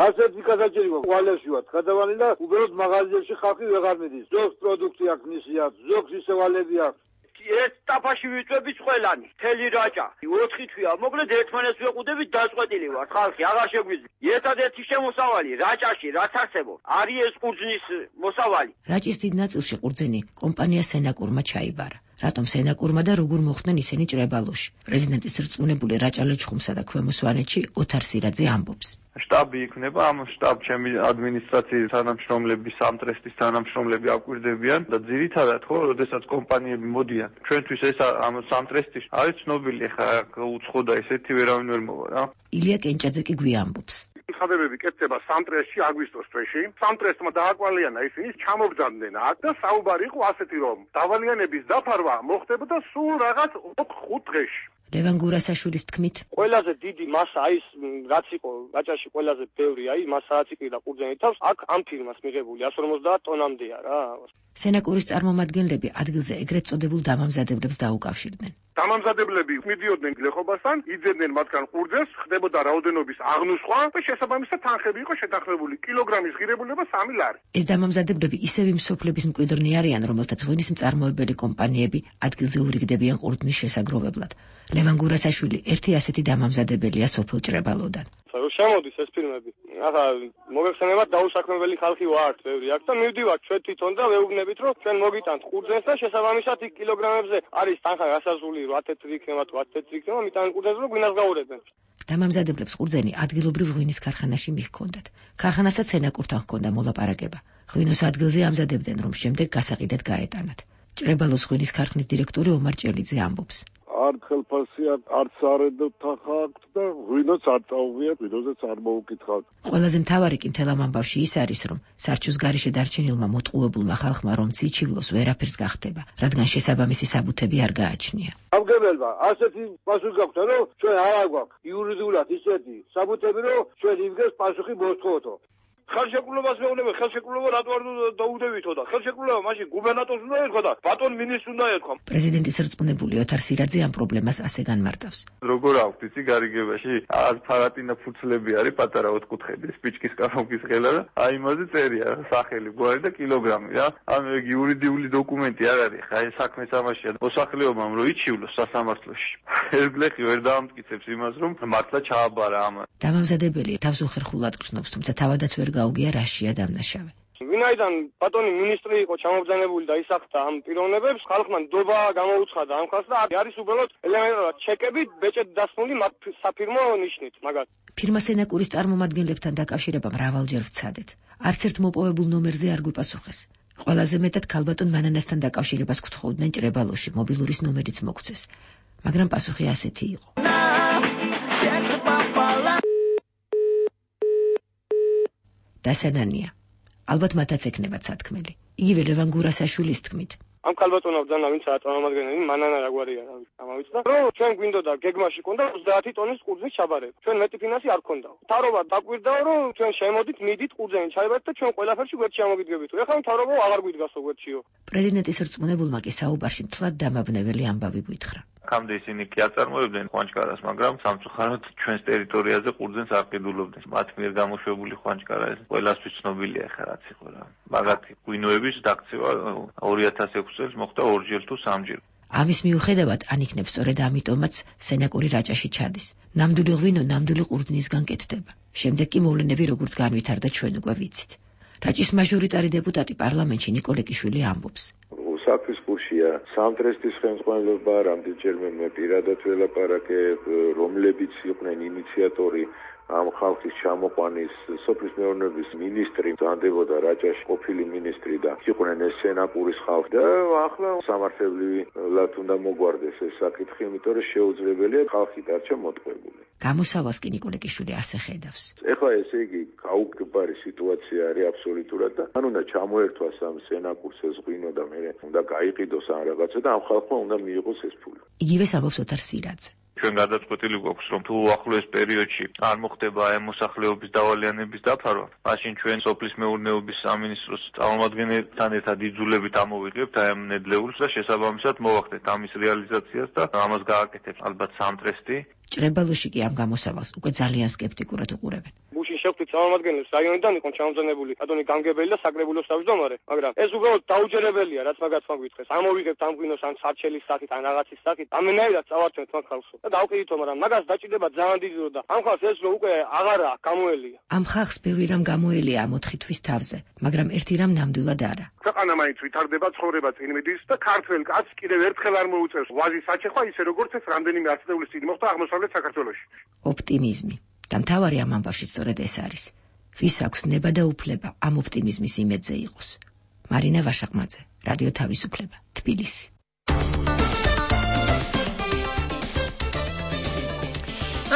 ასეთი გასაჭირი ყვალებში ვართ გადავალი და უბრალოდ მაღაზიებში ხალხი ვეღარ მიდის. ზოგს პროდუქტი აქვს მისი აქვს, ზოგს ისევალები აქვს. ერთ ტაფაში ვიწვევით ყველანი, მთელი რაჭა. ოთხი თვეა, მოკლედ ერთმანეთს ვეყუდებით, დაწყვეტილი ვართ, ხალხი აღარ შეგვიძლია. ერთადერთი შემოსავალი რაჭაში, რაც არსებობს, არის ეს ყურძნის მოსავალი. რაჭის დიდ ნაწილში ყურძენი კომპანია სენაკურმა ჩაიბარა. რატომ სენაკურმა და როგორ მოხვდნენ ისინი ჭრებალოში? პრეზიდენტის რწმუნებული რაჭა-ლეჩხუმსა და ქვემო სვანეთში ოთარ სირაძე ამბობს. შტაბი იქნება, ამ შტაბში ადმინისტრაციის თანამშრომლები, სამტრესტის თანამშრომლები აკვირდებიან და ძირითადად ხო, როდესაც კომპანიები მოდიან. ჩვენთვის ეს ამ სამტრესტის არის ცნობილი, ხა უცხო და ესეთი ვერავინ ვერ მოვა რა. ილია კენჭაძე კი გვიამბობს. ხადებები კეთდება სამტრესში აგვისტოს თვეში. სამტრესმა დააკვალიანა ისინი ჩამობძანდნენ აქ და საუბარი იყო ასეთი, რომ დავალიანების დაფარვა მოხდებოდა სულ რაღაც ოთხ ხუთ დღეში. ლევან გურასაშვილის თქმით, ყველაზე დიდი მასა აი რაც იყო რაჭაში ყველაზე ბევრი აი მასაა ციკლი და ყურძენი თავს აქ ამ ფირმას მიღებული εκατს ორმოცდაათ ტონამდეა რა. სენაკურის წარმომადგენლები ადგილზე ეგრეთ წოდებულ დამამზადებლებს დაუკავშირდნენ. დამამზადებლები მიდიოდნენ გლეხობასთან, იძებდნენ მათგან ყურძენს, ხდებოდა რაოდენობის აღნუსხვა და შესაბამისად თანხები იყო შეთანხმებული. კილოგრამის ღირებულება სამი ლარი. ეს დამამზადებლები ისევ იმ სოფლების მკვიდრნი არიან, რომელთაც ღვინის მწარმოებელი კომპანიები ადგილზე ურიგდებიან ყურძნის შესაგროვებლად. ლევან გურასაშვილი ერთი ასეთი დამამზადებელია სოფელ ჭრებალოდან. შემოდის ეს ფილმები. ახლა მოგეხსენებათ დაუსაქმებელი ხალხი ვართ, ბევრი აქ და მივდივართ ჩვენ თვითონ და ვეუბნებით, რომ ჩვენ მოგიტანთ ყურძენს და შესაბამისად იქ კილოგრამებზე არის თანხა გასაზრდული რვა თეთრი იქნება თუ ათი თეთრი იქნება, მიტანენ ყურძენს რომ გვინას გაურებენ. დამამზადებლებს ყურძენი ადგილობრივ ღვინის ქარხანაში მიჰქონდათ. ქარხანასაც სენაკურთან ჰქონდა მოლაპარაკება. ღვინოს ადგილზე ამზადებდნენ, რომ შემდეგ გასაყიდად გაეტანათ. ჭრებალოს ღვინის ქარხნის დირექტორი ომარ ჭელიძე ამბობს. არც ხელფასია, არც არედო თანხა აქვს და ღვინოც არ წაუღიათ, ღვინოზეც არ მოუკითხავთ. ყველაზე მთავარი კი მთელ ამ ამბავში ის არის, რომ სარჩოს გარეშე დარჩენილმა მოტყუებულმა ხალხმა რომ ციჩივლოს ვერაფერს გახდება, რადგან შესაბამისი საბუთები არ გააჩნია. ამგებელმა ასეთი პასუხი გაქვთ, რომ ჩვენ არ გვაქვს იურიდიულად ისეთი საბუთები, რომ ჩვენ იმგეს პასუხი მოსთხოვთო. ხელშეკრულებას მეუბნები, ხელშეკრულება რატო არ დაუდევითო და ხელშეკრულება მაშინ გუბერნატორს უნდა ერქვა და ბატონ მინისტრს უნდა ერქვა. პრეზიდენტის რწმუნებული ოთარ სირაძე ამ პრობლემას ასე განმარტავს. როგორ აქვს იცი გარიგებაში ას ფარატინა ფუცლები არის პატარა ოთხკუთხედი სპიჩკის კანონის ხელა და აი იმაზე წერია სახელი, გვარი და კილოგრამი რა. ანუ ეგ იურიდიული დოკუმენტი არ არის. ხა ეს საქმე სამაშია. მოსახლეობამ რო იჩივლოს სასამართლოში. ეს გლეხი ვერ დაამტკიცებს იმას, რომ მართლა ჩააბარა ამა. დამამზადებელი თავს უხერხულად გრძნობს, თუმცა თავადაც ვერ გაუგია რაშია დამნაშავე. ვინაიდან ბატონი მინისტრი იყო ჩამობრძანებული და ისახთა ამ პიროვნებებს, ხალხმა ნდობა გამოუცხადა ამ ხალხს და არის უბრალოდ ელემენტარულად ჩეკებით ბეჭედ დასმული საფირმო ნიშნით, მაგათ. ფირმა სენაკურის წარმომადგენლებთან დაკავშირება მრავალჯერ ვცადეთ. არც ერთ მოპოვებულ ნომერზე არ გვიპასუხეს. ყველაზე მეტად ქალბატონ მანანასთან დაკავშირებას გთხოვდნენ ჭრებალოში, მობილურის ნომერიც მოგცეს. მაგრამ პასუხი ასეთი იყო. დასანანია. ალბათ მათაც ეკნებათ სათქმელი. იგივე ლევან გურასაშვილის თქმით. ამ ქალბატონო ბრძანა ვინც არის წარმომადგენელი, მანანა რაგვარია რა ვიცი, ამავიც და რომ ჩვენ გვინდოდა გეგმაში კონდა ოცდაათი ტონის ყურძნის ჩაბარება. ჩვენ მეტი ფინანსი არ ქონდა. მთავრობა დაგვირდაო, რომ ჩვენ შემოდით, მიდით ყურძენი ჩაიბარეთ და ჩვენ ყველაფერში გვერდში ამოგიდგებით. ეხლა მთავრობა აღარ გვიდგასო გვერდშიო. პრეზიდენტის რწმუნებულმა კი საუბარში მთლად დამაბნეველი ამბავი გვითხრა. აქამდე ისინი კი აწარმოებდნენ ხვანჭკარას, მაგრამ სამწუხაროდ ჩვენს ტერიტორიაზე ყურძენს არ ყიდულობდნენ. მათ მიერ გამოშვებული ხვანჭკარა ეს ყველასთვის ცნობილია ხა რაც იყო რა. მაგათი ღვინოების დაქცევა ორი ათას ექვსი წელს მოხდა ორჯერ თუ სამჯერ. ამის მიუხედავად ან იქნებ სწორედ ამიტომაც სენაკური რაჭაში ჩადის. ნამდვილი ღვინო ნამდვილი ყურძნისგან კეთდება. შემდეგ კი მოვლენები როგორც განვითარდა ჩვენ უკვე ვიცით. რაჭის მაჟორიტარი დეპუტატი პარლამენტში ნიკოლე კიშვილი ამბობს. საქმის გუშია სამტრესტის ხელმძღვანელობა, რამდენჯერმე მე პირადად ველაპარაკე, რომლებიც იყვნენ ინიციატორი ამ ხალხის ჩამოყვანის, სოფლის მეურნეობის მინისტრი დანდებოდა რაჭაში, ყოფილი მინისტრი და იყვნენ ეს სენაკურის ხალხი და ახლა სამართლებრივად უნდა მოგვარდეს ეს საკითხი, იმიტომ რომ შეუძლებელია ხალხი დარჩა მოტყუებული. გამოსავალს კი ნიკოლე კიშვილი ასე ხედავს. ეხლა ესე იგი გაუგებარი სიტუაცია არის აბსოლუტურად და ან უნდა ჩამოერთვას ამ სენაკურს ეს ღვინო და მე უნდა გაიყიდოს ან რაღაცა და ამ ხალხმა უნდა მიიღოს ეს ფული. იგივეს ამბობს ოთარ სირაძე. ჩვენ გადაწყვეტილი გვაქვს, რომ თუ ახლოეს პერიოდში არ მოხდება აი მოსახლეობის დავალიანების დაფარვა, მაშინ ჩვენ სოფლის მეურნეობის სამინისტროს წარმომადგენელთან ერთად იძულებით ამოვიღებთ აი ამ ნედლეულს და შესაბამისად მოვახდეთ ამის რეალიზაციას და ამას გააკეთებს ალბათ სამტრესტი. ჭრებალოში კი ამ გამოსავალს უკვე ძალიან სკეპტიკურად უყურებენ. გუშინ შევხვდით წარმომადგენელს რაიონიდან იყო ჩამომზადებული ბატონი გამგებელი და საკრებულოს თავმჯდომარე, მაგრამ ეს უბრალოდ დაუჯერებელია, რაც მაგაც მაგვითხეს. ამოვიღებთ ამ ღვინოს ან სარჩელის სახით, ან რაღაცის სახით, ამენაირად წავარჩენთ მაგ ხალხს და დავყიდითო, მაგრამ მაგას დაჭირდება ძალიან დიდი დრო და ამ ხალხს ეს რო უკვე აღარა გამოელია. ამ ხალხს ბევრი რამ გამოელია ამ ოთხი თვის თავზე, მაგრამ ერთი რამ ნამდვილად არა. ქვეყანა მაინც ვითარდება, ცხოვრება წინ მიდის და ქართველ კაცს კიდევ ერთხელ არ მოუწევს ვაზის საჩეხვა, ისე როგორც ეს რამდენიმე ათწლეულის წინ მოხდა აღმოსავლეთ საქართველოში. ოპტიმიზმი. და მთავარი ამ ამბავში სწორედ ეს არის. ვის აქვს ნება და უფლება ამ ოპტიმიზმის იმედზე იყოს. მარინა ვაშაყმაძე, რადიო თავისუფლება, თბილისი.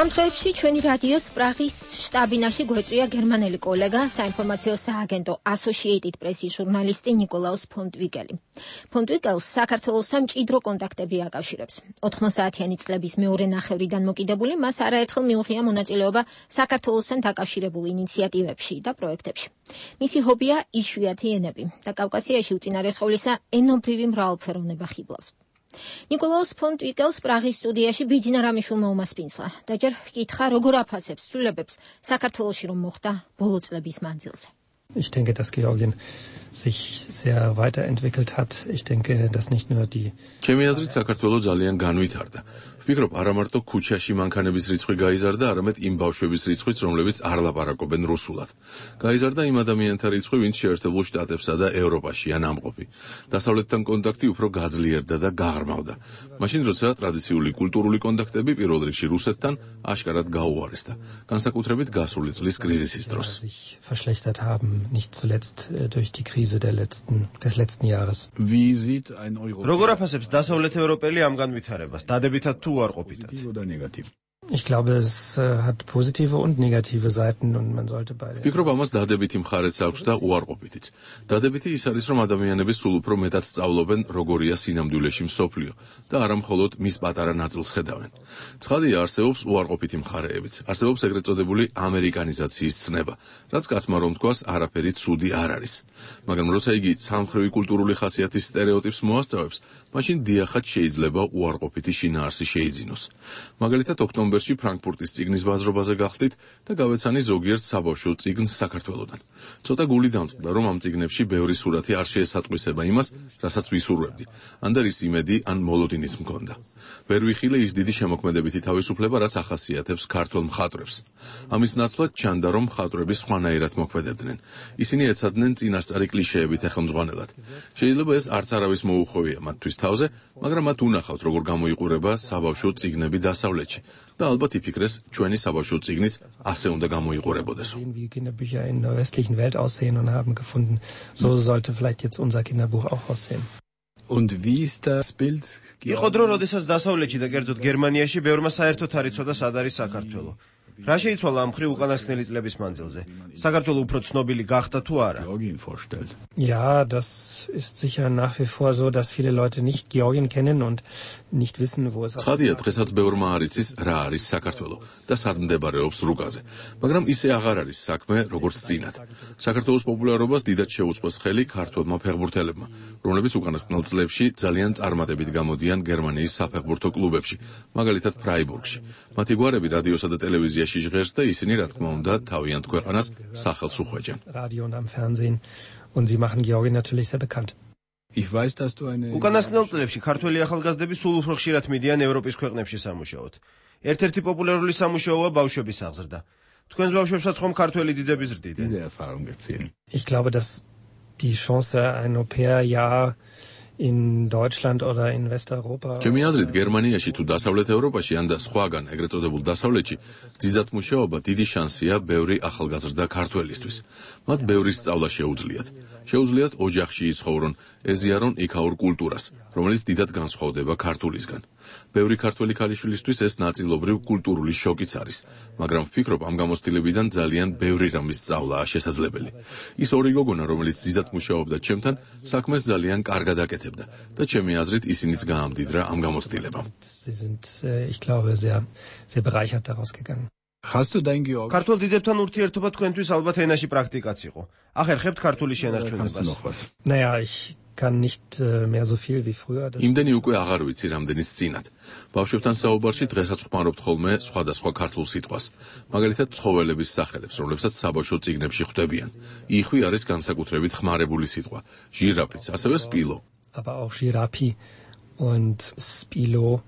ამ დღეებში ჩვენი რადიოს პრაღის შტაბინაში გვეწვია გერმანელი კოლეგა, საინფორმაციო სააგენტო Associated Press-ის ჟურნალისტი ნიკოლაუს ფონტვიკელი. ფონტვიკელს საქართველოსთან მჭიდრო კონტაქტები აკავშირებს. ოთხმოცდაათიანი წლების მეორე ნახევრიდან მოკიდებული, მას არაერთხელ მიუღია მონაწილეობა საქართველოსთან დაკავშირებულ ინიციატივებში და პროექტებში. მისი ჰობია იშვიათი ენები და კავკასიაში უწინარესყავლისა ენობრივი მრავალფეროვნება ხიბლავს. ნიკოლაუს ფონტვიკელს პრაღის სტუდიაში ბიძინა რამიშულმა უმასპინძლა და ჯერ ჰკითხა, როგორ აფასებს ცვლილებებს საქართველოში რომ მოხდა ბოლო წლების მანძილზე. Ich denke, dass Georgien sich sehr weiterentwickelt hat. Ich denke, dass nicht nur die ჩემი აზრით საქართველო ძალიან განვითარდა. ვფიქრობ, არა მარტო ქუჩაში მანქანების რიცხვი გაიზარდა, არამედ იმ ბავშვების რიცხვიც, რომლებიც არ ლაპარაკობენ რუსულად. გაიზარდა იმ ადამიანთა რიცხვი, ვინც შეერთებულ შტატებსა და ევროპაშია ნამყოფი. დასავლეთთან კონტაქტი უფრო გაძლიერდა და გაღრმავდა. მაშინ, როცა ტრადიციული კულტურული კონტაქტები პირველ რიგში რუსეთთან აშკარად გაუარესდა, განსაკუთრებით გასული წლის კრიზისის დროს. verschlechtert haben, nicht zuletzt durch die Krise der letzten, des letzten Jahres. Wie sieht ein Euro? როგორ აფასებს დასავლეთ ევროპელი ამ განვითარებას? დადებითად თუ უარყოფითად? Ich glaube, es äh, hat positive und negative Seiten und man sollte beide. ვფიქრობ, ამას დადებითი მხარეც აქვს და უარყოფითიც. დადებითი ის არის, რომ ადამიანები სულ უფრო მეტად სწავლობენ, როგორია სინამდვილეში მსოფლიო და არა მხოლოდ მის პატარა ნაწილს ხედავენ. ცხადია, არსებობს უარყოფითი მხარეებიც. არსებობს ეგრეთ წოდებული ამერიკანიზაციის ცნება, რაც კაცმა რომ თქვას, არაფერი ცუდი არ არის. მაგრამ როცა იგი სამხრივი კულტურული ხასიათის სტერეოტიპს მოასწავებს, მაშინ დიახაც შეიძლება უარყოფითი შინაარსი შეიძინოს. მაგალითად, ოქტომბერში ფრანკფურტის წიგნის ბაზრობაზე გახდით და გავეცანი ზოგიერთ საბავშვო წიგნს საქართველოდან. ცოტა გული დამწყდა, რომ ამ წიგნებში ბევრი სურათი არ შეესატყვისება იმას, რასაც ვისურვებდი. ან და რის იმედი, ან მოლოდინიც მქონდა. ვერ ვიხილე ის დიდი შემოქმედებითი თავისუფლება, რაც ახასიათებს ქართველ მხატვრებს. ამის ნაცვლად ჩანდა, რომ მხატვრები სხვანაირად მოქმედებდნენ. ისინი ეცადნენ წინასწარი კლიშეებით ეხელმძღვანელად. შეიძლება ეს არც არავის მოუხოვია მათთვის თავზე, მაგრამ მათ უნახავთ, როგორ გამოიყურება საბავშვო წიგნები დასავლეთში და ალბათ იფიქრეს, ჩვენი საბავშვო წიგნიც ასე უნდა გამოიყურებოდეს. Wie Kinderbücher in der westlichen Welt aussehen und haben gefunden, so sollte vielleicht jetzt unser Kinderbuch auch aussehen. Und wie ist das Bild? იყო დრო, როდესაც დასავლეთში და კერძოდ გერმანიაში ბევრმა საერთოდ არ იცოდა, სად არის საქართველო. რა შეიცვალა ამ მხრივ უკანასკნელი წლების მანძილზე? საქართველო უფრო ცნობილი გახდა თუ არა? Ja, das ist sicher nach wie vor so, dass viele Leute nicht Georgien kennen und nicht wissen, wo es ist. ცხადია, დღესაც ბევრმა არ იცის, რა არის საქართველო და სად მდებარეობს რუკაზე. მაგრამ ისე აღარ არის საქმე, როგორც წინათ. საქართველოს პოპულარობას დიდად შეუწყოს ხელი ქართველმა ფეხბურთელებმა, რომლებიც უკანასკნელ წლებში ძალიან წარმატებით გამოდიან გერმანიის საფეხბურთო კლუბებში, მაგალითად ფრაიბურგში. მათი გვარები რადიოსა და ტელევიზიაში ჟღერს და ისინი, რა თქმა უნდა, თავიანთ ქვეყანას სახელს უხვეჭენ. Radio und am Fernsehen und sie machen Georgien natürlich sehr bekannt. Ich weiß, dass du eine უკანასკნელ წლებში ქართველი ახალგაზრდები სულ უფრო ხშირად მიდიან ევროპის ქვეყნებში სამუშაოდ. ერთ-ერთი პოპულარული სამუშაოა ბავშვების აღზრდა. თქვენს ბავშვებსაც ხომ ქართველი დიდები ზრდიდნენ? Diese Erfahrung erzählen. Ich glaube, dass die Chance ein Au-pair-Jahr in Deutschland oder in Westeuropa. ჩემი აზრით, გერმანიაში თუ დასავლეთ ევროპაში ან და სხვაგან, ეგრეთ წოდებულ დასავლეთში, ძიძათ მუშაობა დიდი შანსია ბევრი ახალგაზრდა ქართველისთვის. მათ ბევრი სწავლა შეუძლიათ. შეუძლიათ ოჯახში იცხოვრონ, ეზიარონ იქაურ კულტურას, რომელიც დიდად განსხვავდება ქართულისგან. ბევრი ქართველი ქალიშვილისთვის ეს ნაწილობრივ კულტურული შოკიც არის, მაგრამ ვფიქრობ, ამ გამოცდილებიდან ძალიან ბევრი რამის სწავლაა შესაძლებელი. ის ორი გოგონა, რომელიც ძიძათ მუშაობდა ჩემთან, საქმეს ძალიან კარგად აკეთებდა და ჩემი აზრით ისინიც გაამდიდრა ამ გამოცდილებამ. Sie sind, ich glaube, sehr, sehr bereichert daraus gegangen. Hast du dein Georg? ქართულ დიდებთან ურთიერთობა თქვენთვის ალბათ ენაში პრაქტიკაც იყო. ახერხებთ ქართული შენარჩუნებას? Naja, ich kann nicht äh, mehr so viel wie früher. იმდენი უკვე აღარ ვიცი, რამდენიც წინათ. ბავშვებთან საუბარში დღესაც ვხმარობთ ხოლმე სხვადასხვა ქართულ სიტყვას. მაგალითად, ცხოველების სახელებს, რომლებსაც საბავშვო წიგნებში ხვდებიან. იხვი არის განსაკუთრებით ხმარებული სიტყვა. ჟირაფიც, ასევე სპილო. Aber auch Girapi und Spilo.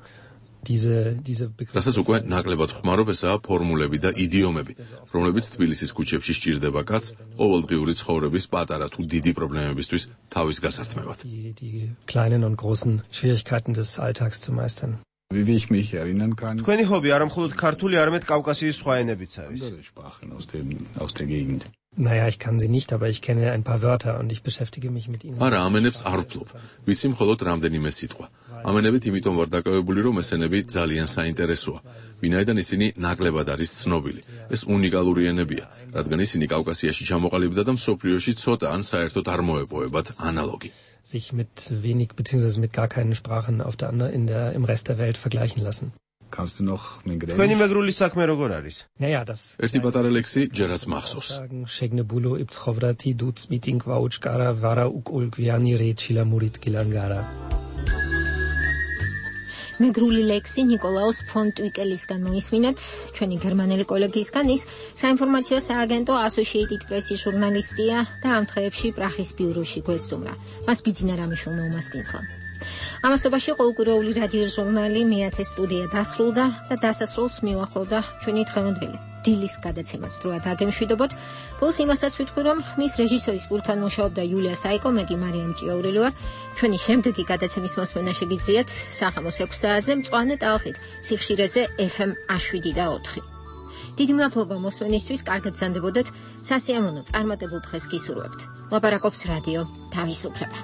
Diese diese Begriffe. რასაც უკვე ნაკლებად ვხმარობ, ესაა ფორმულები და იდიომები, რომლებიც თბილისის ქუჩებში სჭირდება კაცს ყოველდღიური ცხოვრების პატარა თუ დიდი პრობლემებისთვის თავის გასართმევად. Die die kleinen und großen Schwierigkeiten des Alltags zu meistern. Wie ich mich erinnern kann. თქვენი ჰობი არა მხოლოდ ქართული, არამედ კავკასიის სხვა ენებიც არის. Sprachen aus dem aus der Gegend. Naja, ich kann sie nicht, aber ich kenne ein paar Wörter und ich beschäftige mich mit ihnen. არა, ამ ენებს არ ვფლობ. ვიცი მხოლოდ რამდენიმე სიტყვა. ამენებით იმიტომ ვარ დაკავებული, რომ ესენები ძალიან საინტერესოა. ვინაიდან ისინი ნაკლებად არის ცნობილი. ეს უნიკალური ენებია, რადგან ისინი კავკასიაში ჩამოყალიბდა და მსოფლიოში ცოტა ან საერთოდ არ მოეპოვებათ ანალოგი. sich mit wenig bzw. mit gar keinen Sprachen auf der anderen in der im Rest der Welt vergleichen lassen. Kannst du noch migräne? Თქვენი მეგრული საქმე როგორ არის? Naja, das ერთი პატარა ლექსი ჯერაც მახსოვს. შეგნებულო იფცხოვრათი დუც მიტინგ ვაუჩკარა ვარა უკულგვიანი რეჩილა მურით გილანგარა. მეგრული ლექსი ნიკოლაუს ფონ ტვიკელისგან მოისმინეთ, ჩვენი გერმანელი კოლეგისგან. ის საინფორმაციო სააგენტო Associated Press-ის ჟურნალისტია და ამ დღეებში პრაღის ბიუროში გვესტუმრა. მას ბიძინა რამიშვილმა უმასპინძლა. ამასობაში ყოველკვირეული რადიო ჟურნალი მეათე სტუდია დასრულდა და დასასრულს მივახლოვდა ჩვენი დღევანდელი დილის გადაცემაც დროად აგემშვიდობოთ. ბოლოს იმასაც ვიტყვი, რომ ხმის რეჟისორის პულტთან მუშაობდა იულია საიკომეგი, მარიამ ჭიაურელი ვარ. ჩვენი შემდეგი გადაცემის მოსმენა შეგიძლიათ საღამოს ექვსი საათზე მწვანე ტალღით სიხშირეზე ეფ ემ შვიდი და ოთხი. დიდი მადლობა მოსმენისთვის, კარგად გრძანდებოდეთ. სასიამოვნო წარმატებულ დღეს გისურვებთ. ლაპარაკობს რადიო თავისუფლება.